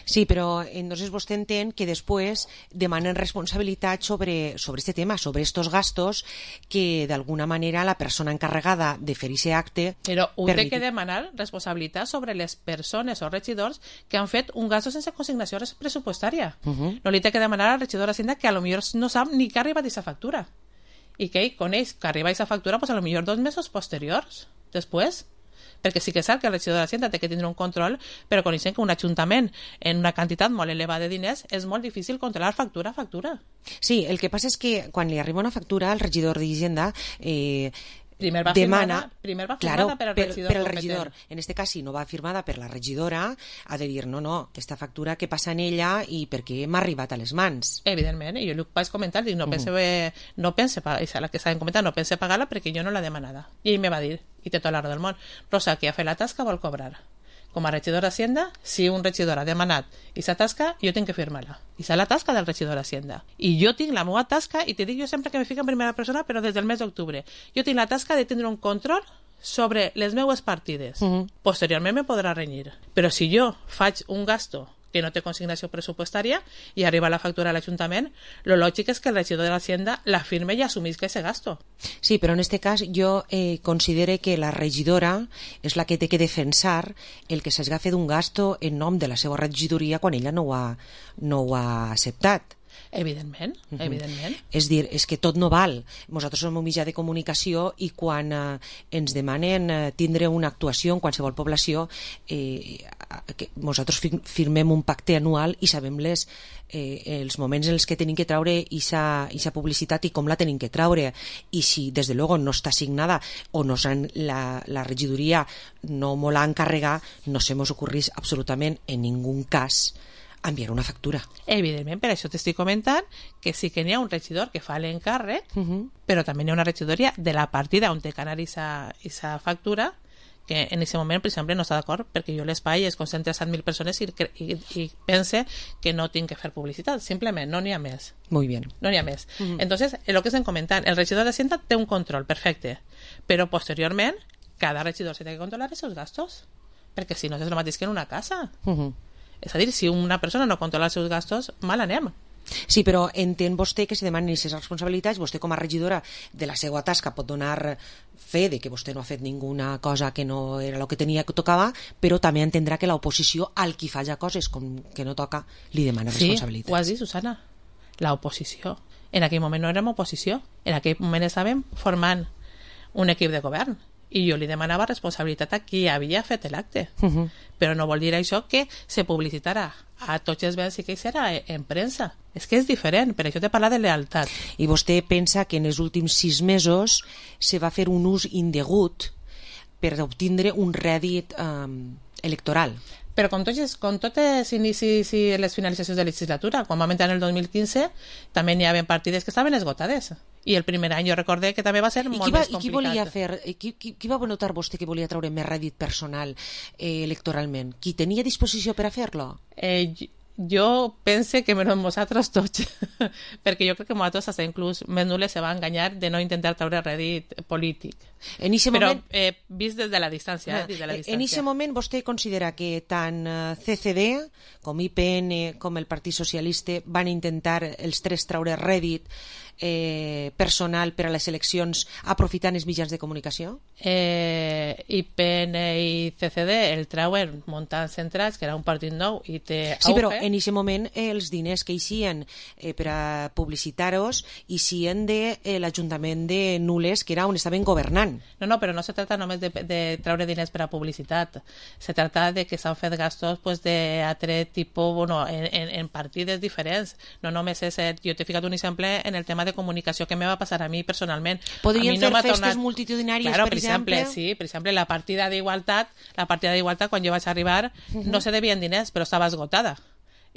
Sí, però entonces vostè entén que després demanen responsabilitat sobre este tema, sobre estos gastos que d'alguna manera la persona encarregada de fer aquest acte... Però ho té que demanar responsabilitat sobre les persones o regidors que han fet un gasto sense consignació pressupostària. No li té que demanar al regidor d'Hacienda que a lo millor no sap ni que ha arribat aquesta factura. I que ell coneix que arriba aquesta factura pues, a lo millor 2 mesos posteriors, després. Perquè sí que és cert que el regidor de l'Hacienda té que tindre un control, però coneixem que un ajuntament en una quantitat molt elevada de diners és molt difícil controlar factura a factura. Sí, el que passa és que quan li arriba una factura, el regidor d'Hisenda primer va demana, firmada claro, per el regidor. En este cas, si no va firmada per la regidora, ha de dir, no, aquesta factura que passa en ella i per què m'ha arribat a les mans. Evidentment, i jo li vaig comentar, dic, no pense pagar-la, que saben comentar, no pense pagar-la perquè jo no l'ha demanada. I ell me va dir, i té tota la raó del món, Rosa, que ha fet la tasca vol cobrar. Com a regidor d'Hacienda, si un regidor ha demanat aquesta tasca, jo tinc que firmar-la. I és la tasca del regidor d'Hacienda. I jo tinc la meva tasca, i te dic jo sempre que me fico en primera persona, però des del mes d'octubre. Jo tinc la tasca de tindre un control sobre les meues partides. Posteriorment me podrà renyir. Però si jo faig un gasto que no té consignació pressupostària i arriba la factura a l'Ajuntament, lo lògic és que el regidor de l'Hacienda la firme i assumisca ese gasto. Sí, però en este cas jo considero que la regidora és la que té que defensar el que s'hagi fet un gasto en nom de la seva regidoria quan ella no ho ha acceptat. Evidentment, evidentment. És dir, és que tot no val. Nosaltres som un mitjà de comunicació i quan ens demanen tindre una actuació en qualsevol població, nosaltres firmem un pacte anual i sabem els moments en els que tenim que traure aquesta publicitat i com la tenim que traure. I si, des de luego, no està signada o la regidoria no me l'ha encarregat, no se mos ocorrís absolutament en ningú cas enviar una factura. Evidentment, per això t'estic comentant que sí que n'hi ha un regidor que fa l'encàrrec, però també n'hi ha una regidoria de la partida on té que anar aquesta factura que en aquest moment, per exemple, no està d'acord perquè jo l'espai es concentra a 7.000 persones i pense que no tinc que fer publicitat. Simplement, no n'hi ha més. Muy bien. No n'hi ha més. Entonces, el que estem comentant, el regidor d'Hacienda té un control, perfecte, però posteriorment cada regidor se té que controlar els seus gastos, perquè si no és el mateix que en una casa. És a dir, si una persona no controla els seus gastos, mal anem. Sí, però entén vostè que se demanen aquestes responsabilitats, vostè com a regidora de la seva tasca pot donar fe de que vostè no ha fet ninguna cosa que no era el que tenia que tocava, però també entendrà que l'oposició al qui fa ja coses com que no toca li demana responsabilitats. Sí, ho has dit, Susana, l'oposició. En aquell moment no érem oposició, en aquell moment estàvem formant un equip de govern i jo li demanava responsabilitat a qui havia fet l'acte. Però no vol dir això que se publicitarà a tots els béns i que serà en premsa. És que és diferent, per això t'he parlat de lealtat. I vostè pensa que en els últims 6 mesos se va fer un ús indegut per obtindre un rèdit electoral? Però com tots els inicis i les finalitzacions de legislatura, quan vam entrar en el 2015 també n'hi havia partides que estaven esgotades i el primer any jo recordé que també va ser molt més complicat. Qui va notar vostè que volia treure més rèdit personal electoralment? Qui tenia disposició per a fer-lo? Jo pense que menys nosaltres tots perquè jo crec que nosaltres hasta inclús més nules se va enganyar de no intentar treure rèdit polític, però vist des de la distància. En aquest moment vostè considera que tant CCD com IPN com el Partit Socialista van intentar els tres treure rèdit personal per a les eleccions aprofitant els mitjans de comunicació? IPN i CCD el treuen muntant centrats, que era un partit nou i té auge. Sí, però en aquest moment els diners que eixien per a publicitar-los eixien de l'Ajuntament de Nules, que era on estaven governant. No, però no se tracta només de treure diners per a publicitat. Se tracta de que s'han fet gastos d'altre tipus, en partides diferents. No només és... Jo t'he ficat un exemple en el tema de comunicació que me va passar a mi personalment. Podrien fer festes multitudinàries, per exemple? Sí, per exemple, la partida d'igualtat, quan jo vaig arribar, no se devien diners, però estava esgotada.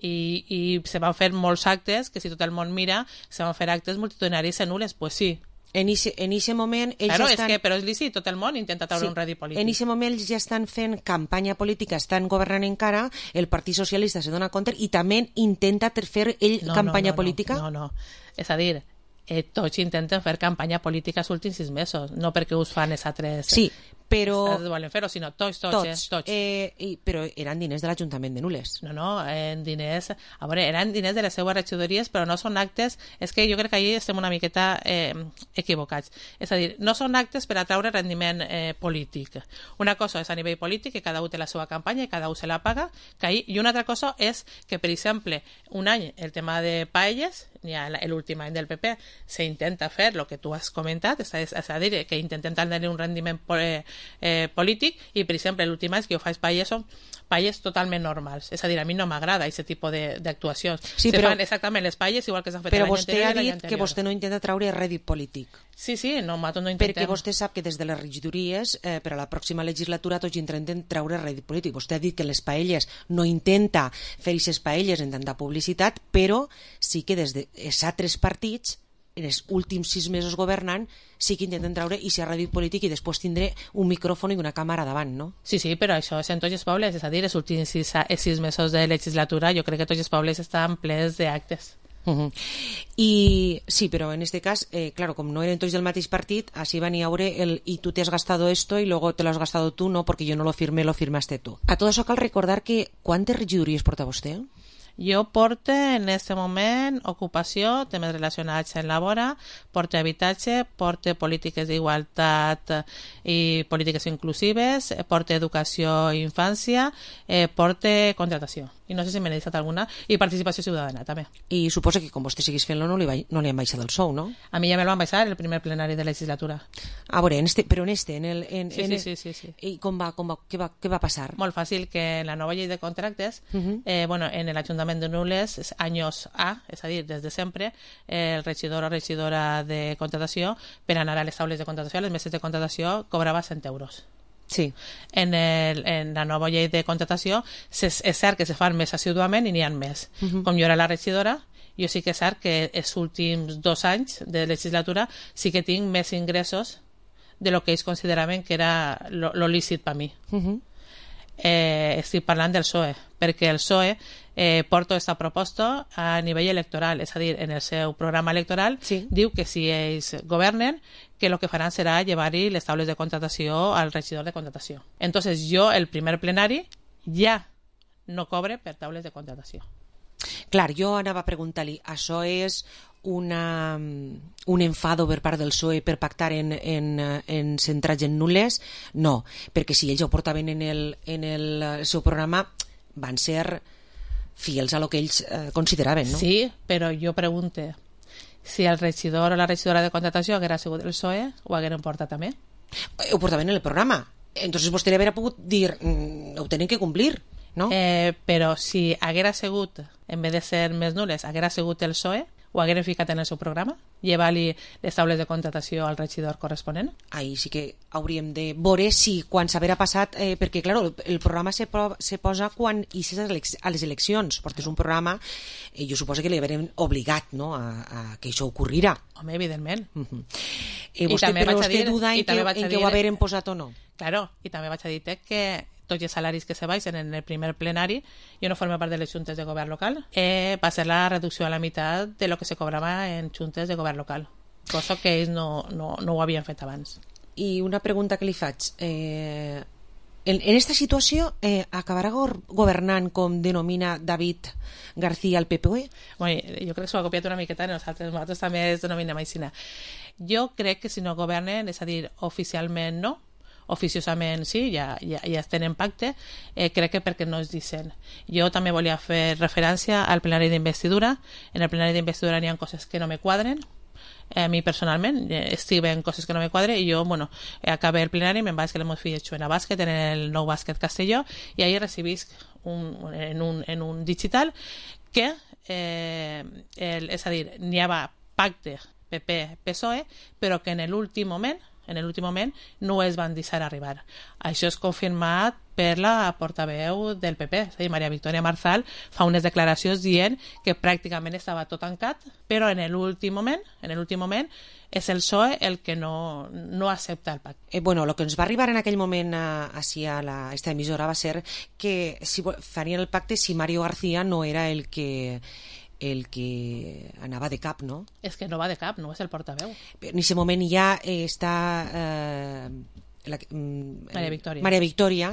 I se van fer molts actes, que si tot el món mira, se van fer actes multitudinaris en Nules, pues sí. En aquest moment ells claro, estan... però és lícit, tot el món intenta treure un rèdit polític. En aquest moment ells ja estan fent campanya política, estan governant encara, el Partit Socialista se dona compte i també intenta fer ell campanya política? No. És a dir, tots intenten fer campanya política els últims 6 mesos, no perquè us fan els altres... Sí, però... volen fer-ho, sinó tots. Però eren diners de l'Ajuntament de Nules. No, diners... A veure, eren diners de les seues regidories, però no són actes... És que jo crec que allà estem una miqueta equivocats. És a dir, no són actes per atraure rendiment polític. Una cosa és a nivell polític, que cada un té la seva campanya i cada un se la paga, i una altra cosa és que, per exemple, un any el tema de paelles, l'últim any del PP, se intenta fer el que tu has comentat, és a dir, que intenten tenir un rendiment polític, i, per exemple, l'últim any que jo faig paelles són paelles totalment normals. És a dir, a mi no m'agrada aquest tipus d'actuacions. Sí, se fan exactament les paelles igual que s'ha fet l'any anterior. Però vostè ha dit que vostè no intenta traure rèdit polític. Sí, nosaltres no intentem. Perquè vostè sap que des de les regidories, per a la pròxima legislatura, tots intenten traure rèdit polític. Vostè ha dit que les paelles no intenta fer aquestes paelles en tanta publicitat, però sí que des dels altres partits, en els últims 6 mesos governant, sí que intenten treure i si ha rèdit polític i després tindré un micròfon i una càmera davant, no? Sí, però això és en tots els pobles, és a dir, els últims 6 mesos de legislatura jo crec que tots els pobles estan plens d'actes. I sí, però en este cas, claro, com no eren tots del mateix partit, així van a veure el y tú te has gastado esto y luego te lo has gastado tú, no, porque yo no lo firmé, lo firmaste tú. A todo això cal recordar que quantes regidories porta vostè? Jo porto en aquest moment ocupació, temes relacionats amb la vora, porto habitatge, porto polítiques d'igualtat i polítiques inclusives, porto educació i infància, porto contratació. I no sé si me n'he deixat alguna. I participació ciutadana, també. I suposa que com vostè seguís fent-lo no li han baixat el sou, no? A mi ja me lo van baixar el primer plenari de legislatura. A veure, però en este... Sí. I què va passar? Molt fàcil, que en la nova llei de contractes, en l'Ajuntament de Nules, anys A, és a dir, des de sempre, el regidor o regidora de contratació, per anar a les taules de contratació, a les meses de contratació, cobrava 100 euros. Sí. En la nova llei de contratació és cert que se fan més assiduament i n'hi ha més. Com jo era la regidora, jo sí que és cert que els últims 2 anys de legislatura sí que tinc més ingressos de lo que ells consideraven que era lo lícit per mi. Estic parlant del PSOE, perquè el PSOE porta aquesta proposta a nivell electoral, és a dir, en el seu programa electoral diu que si ells governen, que el que faran serà llevar-hi les taules de contratació al regidor de contratació. Entonces jo, el primer plenari, ja no cobre per taules de contratació. Clar, jo anava a preguntar-li, això és un enfado per part del PSOE per pactar en centrats en Nules? No, perquè si ells ho portaven en el seu programa van ser fidels a lo que ells consideraven, no? Sí, però jo pregunto, si el regidor o la regidora de contratació haguera sigut el PSOE, ho hagueren portat també? Ho portaven en el programa. Entonces vostè li hauria pogut dir, ho tenen que complir, no? Però si haguera sigut, en vez de ser més Nules, haguera sigut el PSOE, ho hagueren ficat en el seu programa? Llevar-li les taules de contratació al regidor corresponent? Ahí sí que hauríem de veure si quan s'haverà passat, perquè clar, el programa se posa quan ixes a les eleccions, portes un programa, jo suposo que li haurem obligat, no, a que això ocorrirà. Home, evidentment. Però vostè duda en que ho haurem posat o no? Claro, i també vaig a dir que tots els salaris que se baixen en el primer plenari, jo no formo part de les juntes de govern local, va ser la reducció a la meitat de lo que se cobrava en juntes de govern local, cosa que ells no ho havien fet abans. I una pregunta que li faig, en esta situació acabarà governant com denomina David García el PPE? Jo crec que s'ho ha copiat una miqueta nosaltres també es denominem així. Jo crec que si no governen, és a dir, oficialment no, oficiosament sí, ja estem en pacte, crec que perquè no es dicen. Jo també volia fer referència al plenari d'investidura. En el plenari d'investidura n'hi ha coses que no me quadren, a mi personalment escriben coses que no me quadren, i jo, acabé el plenari, me'n vaig que l'hemos fet en a bàsquet, en el nou bàsquet Castelló, i ahí recibisc en un digital que és a dir, n'hi havia pacte PP-PSOE, però que en l'últim moment no es van deixar arribar. Això és confirmat per la portaveu del PP, és a dir, Maria Victòria Marzal fa unes declaracions dient que pràcticament estava tot tancat, però en l'últim moment és el PSOE el que no accepta el pacte. Bueno, el que ens va arribar en aquell moment a esta emissora va ser que farien el pacte si Mario García no era el que anava de cap, no? És que no va de cap, no és el portaveu. En aquest moment ja està Maria Victòria,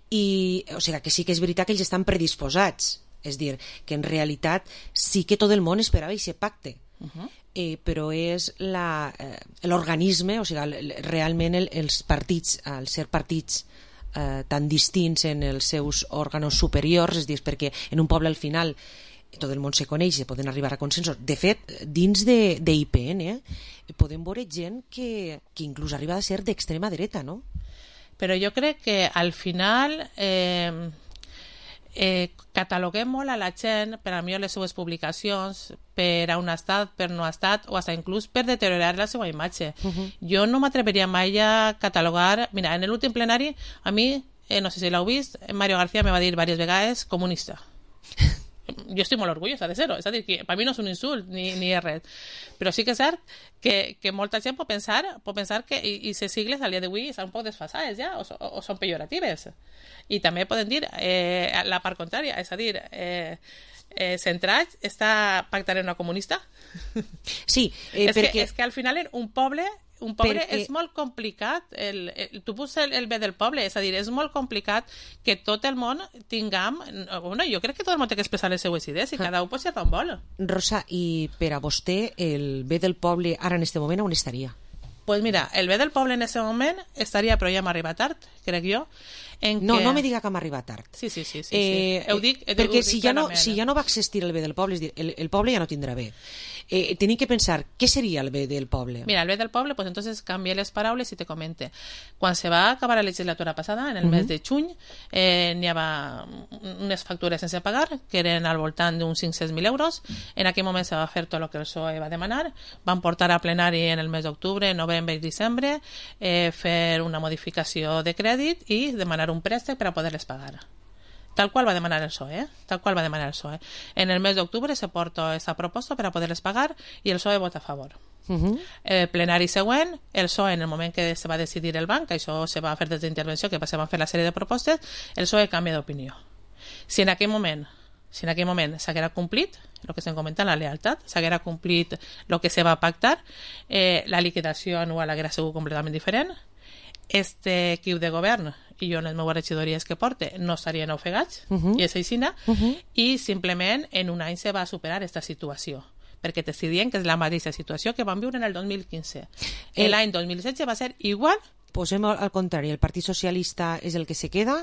i, o sigui, que sí que és veritat que ells estan predisposats, és dir, que en realitat sí que tot el món esperava aquest pacte, però és l'organisme, o sigui, realment els partits, al ser partits tan distints en els seus òrgans superiors, és dir, perquè en un poble al final tot el món se coneix, se poden arribar a consensos. De fet, dins d'IPN podem veure gent que inclús arriba a ser d'extrema dreta, no? Però jo crec que al final cataloguem molt a la gent per a millor les seues publicacions, per a un estat, per no estat, o fins inclús per deteriorar la seva imatge. Jo no m'atreveria mai a catalogar... Mira, en l'últim plenari, a mi, no sé si l'heu vist, Mario García me va dir diverses vegades comunista. Jo estic molt orgullosa de ser-ho, és a dir, que per mi no és un insult ni és res, però sí que és cert que molta gent pot pensar que aquestes sigles al dia d'avui estan un poc desfasades ja, o són pejoratives, i també poden dir la part contrària, és a dir, Centrats està pactant una comunista? Sí, perquè... és que al final un poble és molt complicat, tu poses el bé del poble, és a dir, és molt complicat que tot el món tinguem... Bueno, jo crec que tot el món té que expressar les seues idees i cada un pot ser on vol. Rosa, i per a vostè el bé del poble ara en este moment on estaria? Pues mira, el bé del poble en este moment estaria, però ja m'arriba tard, crec jo. No me diga que m'arriba tard. Sí. Perquè si ja no va existir el bé del poble, és dir, el poble ja no tindrà bé. Tenim que pensar, què seria el bé del poble? Mira, el bé del poble, pues entonces canvia les paraules i te comente. Quan se va acabar la legislatura passada, en el mes de juny, n'hi havia unes factures sense pagar, que eren al voltant d'uns 500.000 euros. En aquell moment se va fer tot el que el PSOE va demanar. Van portar a plenari en el mes d'octubre, novembre i desembre, fer una modificació de crèdit i demanar un préstec per a poder-les pagar. Tal qual va demanar el PSOE, En el mes d'octubre se porta aquesta proposta per a poder-les pagar i el PSOE vota a favor. El plenari següent, el PSOE, en el moment que se va decidir el banc, això se va fer des d'intervenció, que se van fer la sèrie de propostes, el PSOE canvia d'opinió. Si en aquell moment s'haguera complit el que estem comentant, la lealtat, s'haguera complit el que se va pactar, la liquidació anual haguera sigut completament diferent. Este equip de govern i jo en les meves regidories que porte no estarien ofegats, i és aixina, i simplement en un any se va superar aquesta situació, perquè t'estic dient que és la mateixa situació que vam viure en el 2015. L'any 2016 va ser igual. Posem al contrari, el Partit Socialista és el que se queda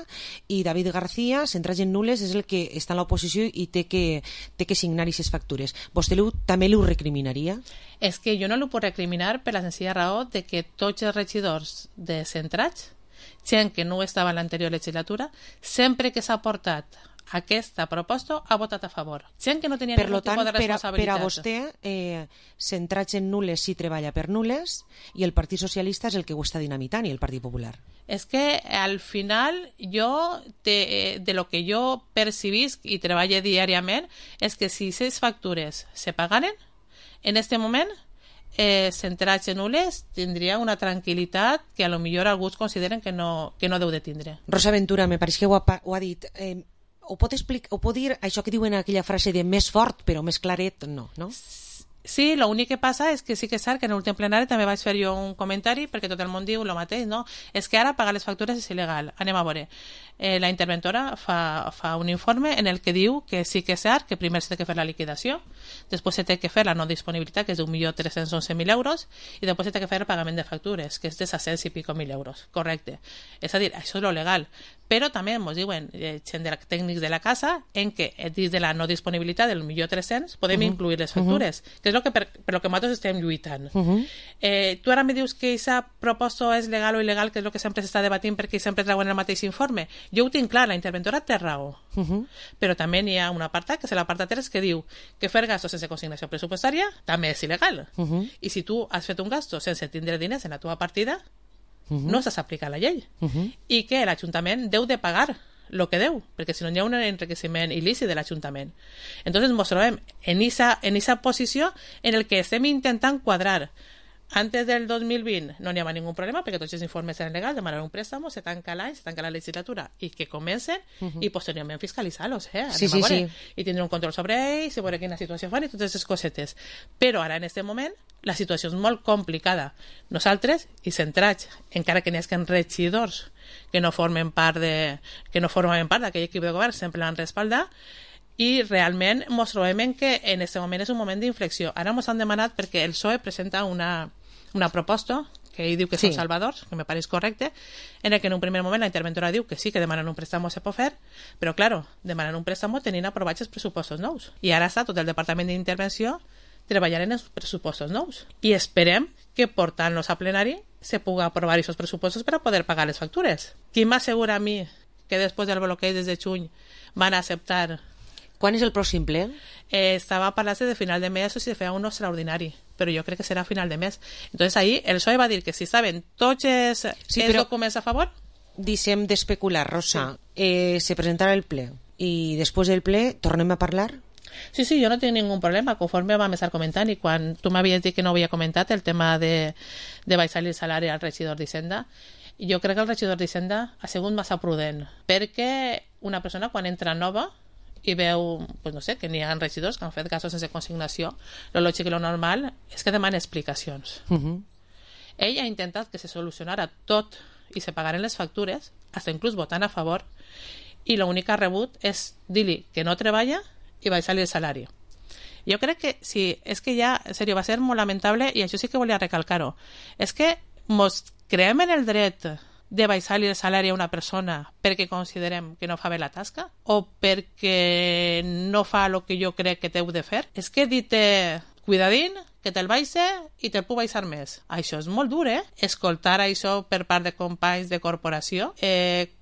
i David García, centrat en nules, és el que està en l'oposició i té que signar aquestes factures. Vostè també l'ho recriminaria? És que jo no l'ho puc recriminar per la senzilla raó de que tots els regidors de Centrats, gent que no estava en l'anterior legislatura, sempre que s'ha portat aquesta proposta ha votat a favor. Gent que no tenia ningú tipus de responsabilitat. Per a vostè, Centrats en nules sí treballa per nules i el Partit Socialista és el que ho està dinamitant i el Partit Popular. És que al final jo, de lo que jo percibisc i treballo diàriament, és que si aquestes factures se pagaren, en este moment Centrats en nules tindria una tranquil·litat que a lo millor alguns consideren que no deu de tindre. Rosa Ventura, me pareix que ho ha dit... Ho pot dir això que diuen aquella frase de més fort però més claret, no? Sí, l'únic que passa és que sí que és cert que en l'últim plenari també vaig fer jo un comentari perquè tot el món diu el mateix, no? És que ara pagar les factures és il·legal. Anem a veure. La interventora fa un informe en el que diu que sí que és cert que primer s'ha de fer la liquidació, després s'ha de fer la no disponibilitat, que és d'1.311.000 euros, i després s'ha de fer el pagament de factures, que és de 600 i pico mil euros. Correcte. És a dir, això és lo legal. Però també ens diuen gent tècnics de la casa en què dins de la no disponibilitat del 1.300.000 podem incluir les factures, que és per lo que nosaltres estem lluitant. Tu ara me dius que aquesta proposta és legal o il·legal, que és el que sempre s'està debatint perquè sempre treuen el mateix informe. Jo ho tinc clar, la interventora té raó. Però també n'hi ha un apartat, que és l'apartat 3, que diu que fer gastos sense consignació pressupostària també és il·legal. I si tu has fet un gasto sense tindre diners en la teva partida, no s'ha aplicat la llei. I que l'Ajuntament deu de pagar el que deu, perquè si no hi ha un enriqueciment il·lícit de l'Ajuntament. Entonces ens trobem en esa posició en el que estem intentant quadrar. Antes del 2020 no n'hi ha ningú problema perquè tots els informes eren legals, demanar un préstamo, se tanca l'any, se tanca la legislatura i que comencen i posteriorment fiscalitzar-los, Sí. I tindre un control sobre ells, i veure quina situació fan i totes aquestes cosetes. Però ara en aquest moment la situació és molt complicada. Nosaltres, i centrats, encara que n'hi hagi regidors que no formen part d'aquell equip de govern, sempre l'han respaldat, i realment ens trobem que en aquest moment és un moment d'inflexió. Ara ens han demanat, perquè el PSOE presenta una proposta que ell diu que són salvadors, que me pareix correcte, en el que en un primer moment la interventora diu que sí, que demanen un préstamo a Sepofer, però, claro, demanen un préstamo tenint aprovats els pressupostos nous. I ara està tot el Departament d'Intervenció treballant en els pressupostos nous. I esperem que portant-los a plenari se pugui aprovar aquests pressupostos per a poder pagar les factures. Qui m'assegura a mi que després del bloqueig des de juny van a acceptar... Quan és el pròxim ple? Estava parlant de final de mes o si feia un extraordinari, però jo crec que serà a final de mes. Entonces ahí el PSOE va dir que si estaven tots els documents a favor... Deixem d'especular, Rosa. Se presentarà el ple i després del ple tornem a parlar? Sí, jo no tinc ningú problema, conforme vam estar comentant, i quan tu m'havies dit que no havia comentat el tema de baixar el salari al regidor d'Hisenda, jo crec que el regidor d'Hisenda ha sigut massa prudent, perquè una persona quan entra nova i veu, pues no sé, que n'hi ha regidors que han fet casos sense consignació, lo lògic i lo normal és que demanen explicacions. Ell ha intentat que se solucionara tot i se pagaren les factures, fins inclús votant a favor, i l'únic que ha rebut és dir-li que no treballa i baixar-li el salari. Jo crec que sí, és que ja, en sèrio, va ser molt lamentable, i això sí que volia recalcar-ho. És que mos creem en el dret de baixar-li el salari a una persona perquè considerem que no fa bé la tasca o perquè no fa el que jo crec que t'heu de fer. És que dit-te, cuidadín, que te'l baixe i te'l puc baixar més. Això és molt dur, escoltar això per part de companys de corporació.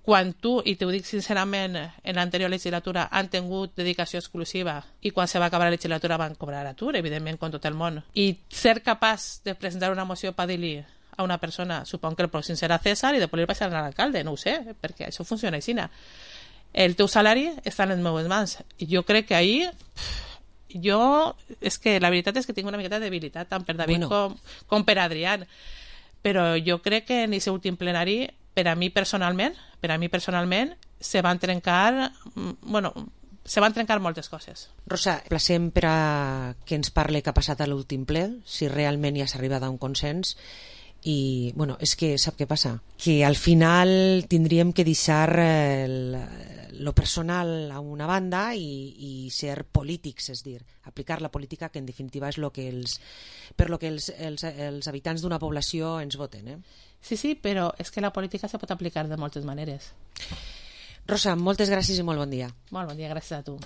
Quan tu, i t'ho dic sincerament, en l'anterior legislatura han tingut dedicació exclusiva i quan se va acabar la legislatura van cobrar atur, evidentment, com tot el món. I ser capaç de presentar una moció per dir-li a una persona, supon que el pròxim serà César i després li baixaran a l'alcalde, no ho sé, perquè això funciona així. El teu salari està en les meves mans. I jo crec que ahir... és que la veritat és que tinc una miqueta de debilitat tant per David com per Adrián, però jo crec que en aquest últim plenari per a mi personalment se van trencar moltes coses. Rosa, placem per a que ens parli què ha passat a l'últim ple, si realment ja s'ha arribat a un consens. I, és que sap què passa? Que al final tindríem que deixar lo personal a una banda i ser polítics, és dir, aplicar la política, que en definitiva és per lo que els habitants d'una població ens voten. Sí, però és que la política se pot aplicar de moltes maneres. Rosa, moltes gràcies i molt bon dia. Molt bon dia, gràcies a tu.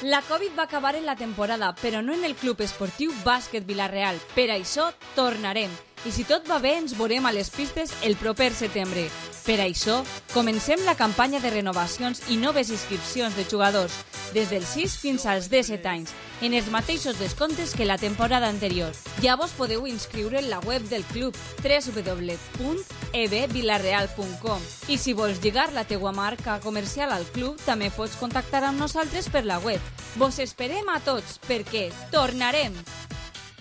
La Covid va acabar en la temporada, però no en el Club Esportiu Bàsquet Vila-real. Per això tornarem. I si tot va bé, ens veurem a les pistes el proper setembre. Per això, comencem la campanya de renovacions i noves inscripcions de jugadors, des dels 6 fins als 17 anys, en els mateixos descomptes que la temporada anterior. Ja vos podeu inscriure en la web del club www.ebvilareal.com i si vols lligar la teua marca comercial al club, també pots contactar amb nosaltres per la web. Vos esperem a tots, perquè tornarem!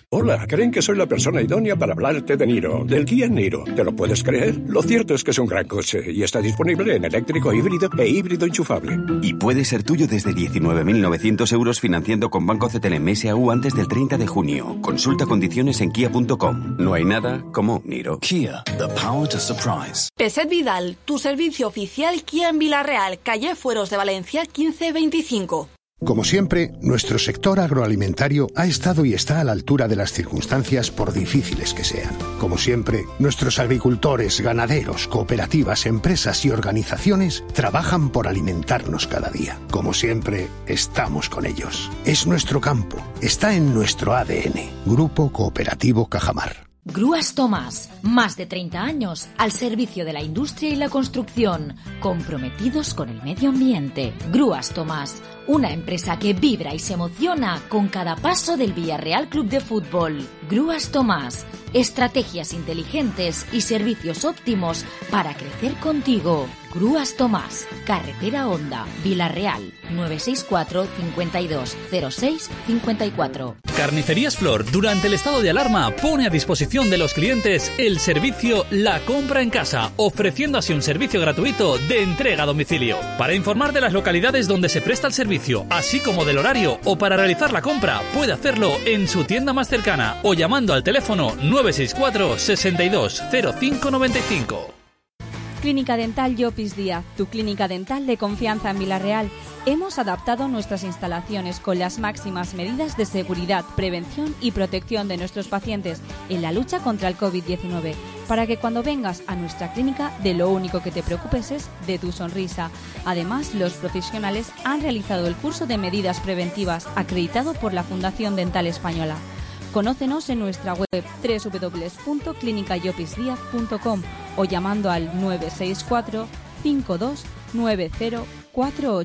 Hola, creen que soy la persona idónea para hablarte de Niro, del Kia Niro. ¿Te lo puedes creer? Lo cierto es que es un gran coche y está disponible en eléctrico híbrido e híbrido enchufable. Y puede ser tuyo desde 19.900 euros financiando con Banco CTLM S.A.U. antes del 30 de junio. Consulta condiciones en kia.com. No hay nada como Niro. Kia, the power to surprise. Peset Vidal, tu servicio oficial Kia en Vila-real, calle Fueros de Valencia 1525. Como siempre, nuestro sector agroalimentario ha estado y está a la altura de las circunstancias por difíciles que sean. Como siempre, nuestros agricultores, ganaderos, cooperativas, empresas y organizaciones trabajan por alimentarnos cada día. Como siempre, estamos con ellos. Es nuestro campo, está en nuestro ADN. Grupo Cooperativo Cajamar. Grúas Tomás, más de 30 años al servicio de la industria y la construcción, comprometidos con el medio ambiente. Grúas Tomás, una empresa que vibra y se emociona con cada paso del Villarreal Club de Fútbol. Grúas Tomás, estrategias inteligentes y servicios óptimos para crecer contigo. Grúas Tomás, Carretera Honda, Vila-real, 964 52 06 54. Carnicerías Flor, durante el estado de alarma, pone a disposición de los clientes el servicio La Compra en Casa, ofreciendo así un servicio gratuito de entrega a domicilio. Para informar de las localidades donde se presta el servicio servicio, así como del horario, o para realizar la compra, puede hacerlo en su tienda más cercana o llamando al teléfono 964 62 05 95. Clínica Dental Llopis Díaz, tu clínica dental de confianza en Vila-real. Hemos adaptado nuestras instalaciones con las máximas medidas de seguridad, prevención y protección de nuestros pacientes en la lucha contra el COVID-19, para que cuando vengas a nuestra clínica de lo único que te preocupes es de tu sonrisa. Además, los profesionales han realizado el curso de medidas preventivas acreditado por la Fundación Dental Española. Conócenos en nuestra web www.clinicallopisdiaz.com o llamando al 964 52 9048.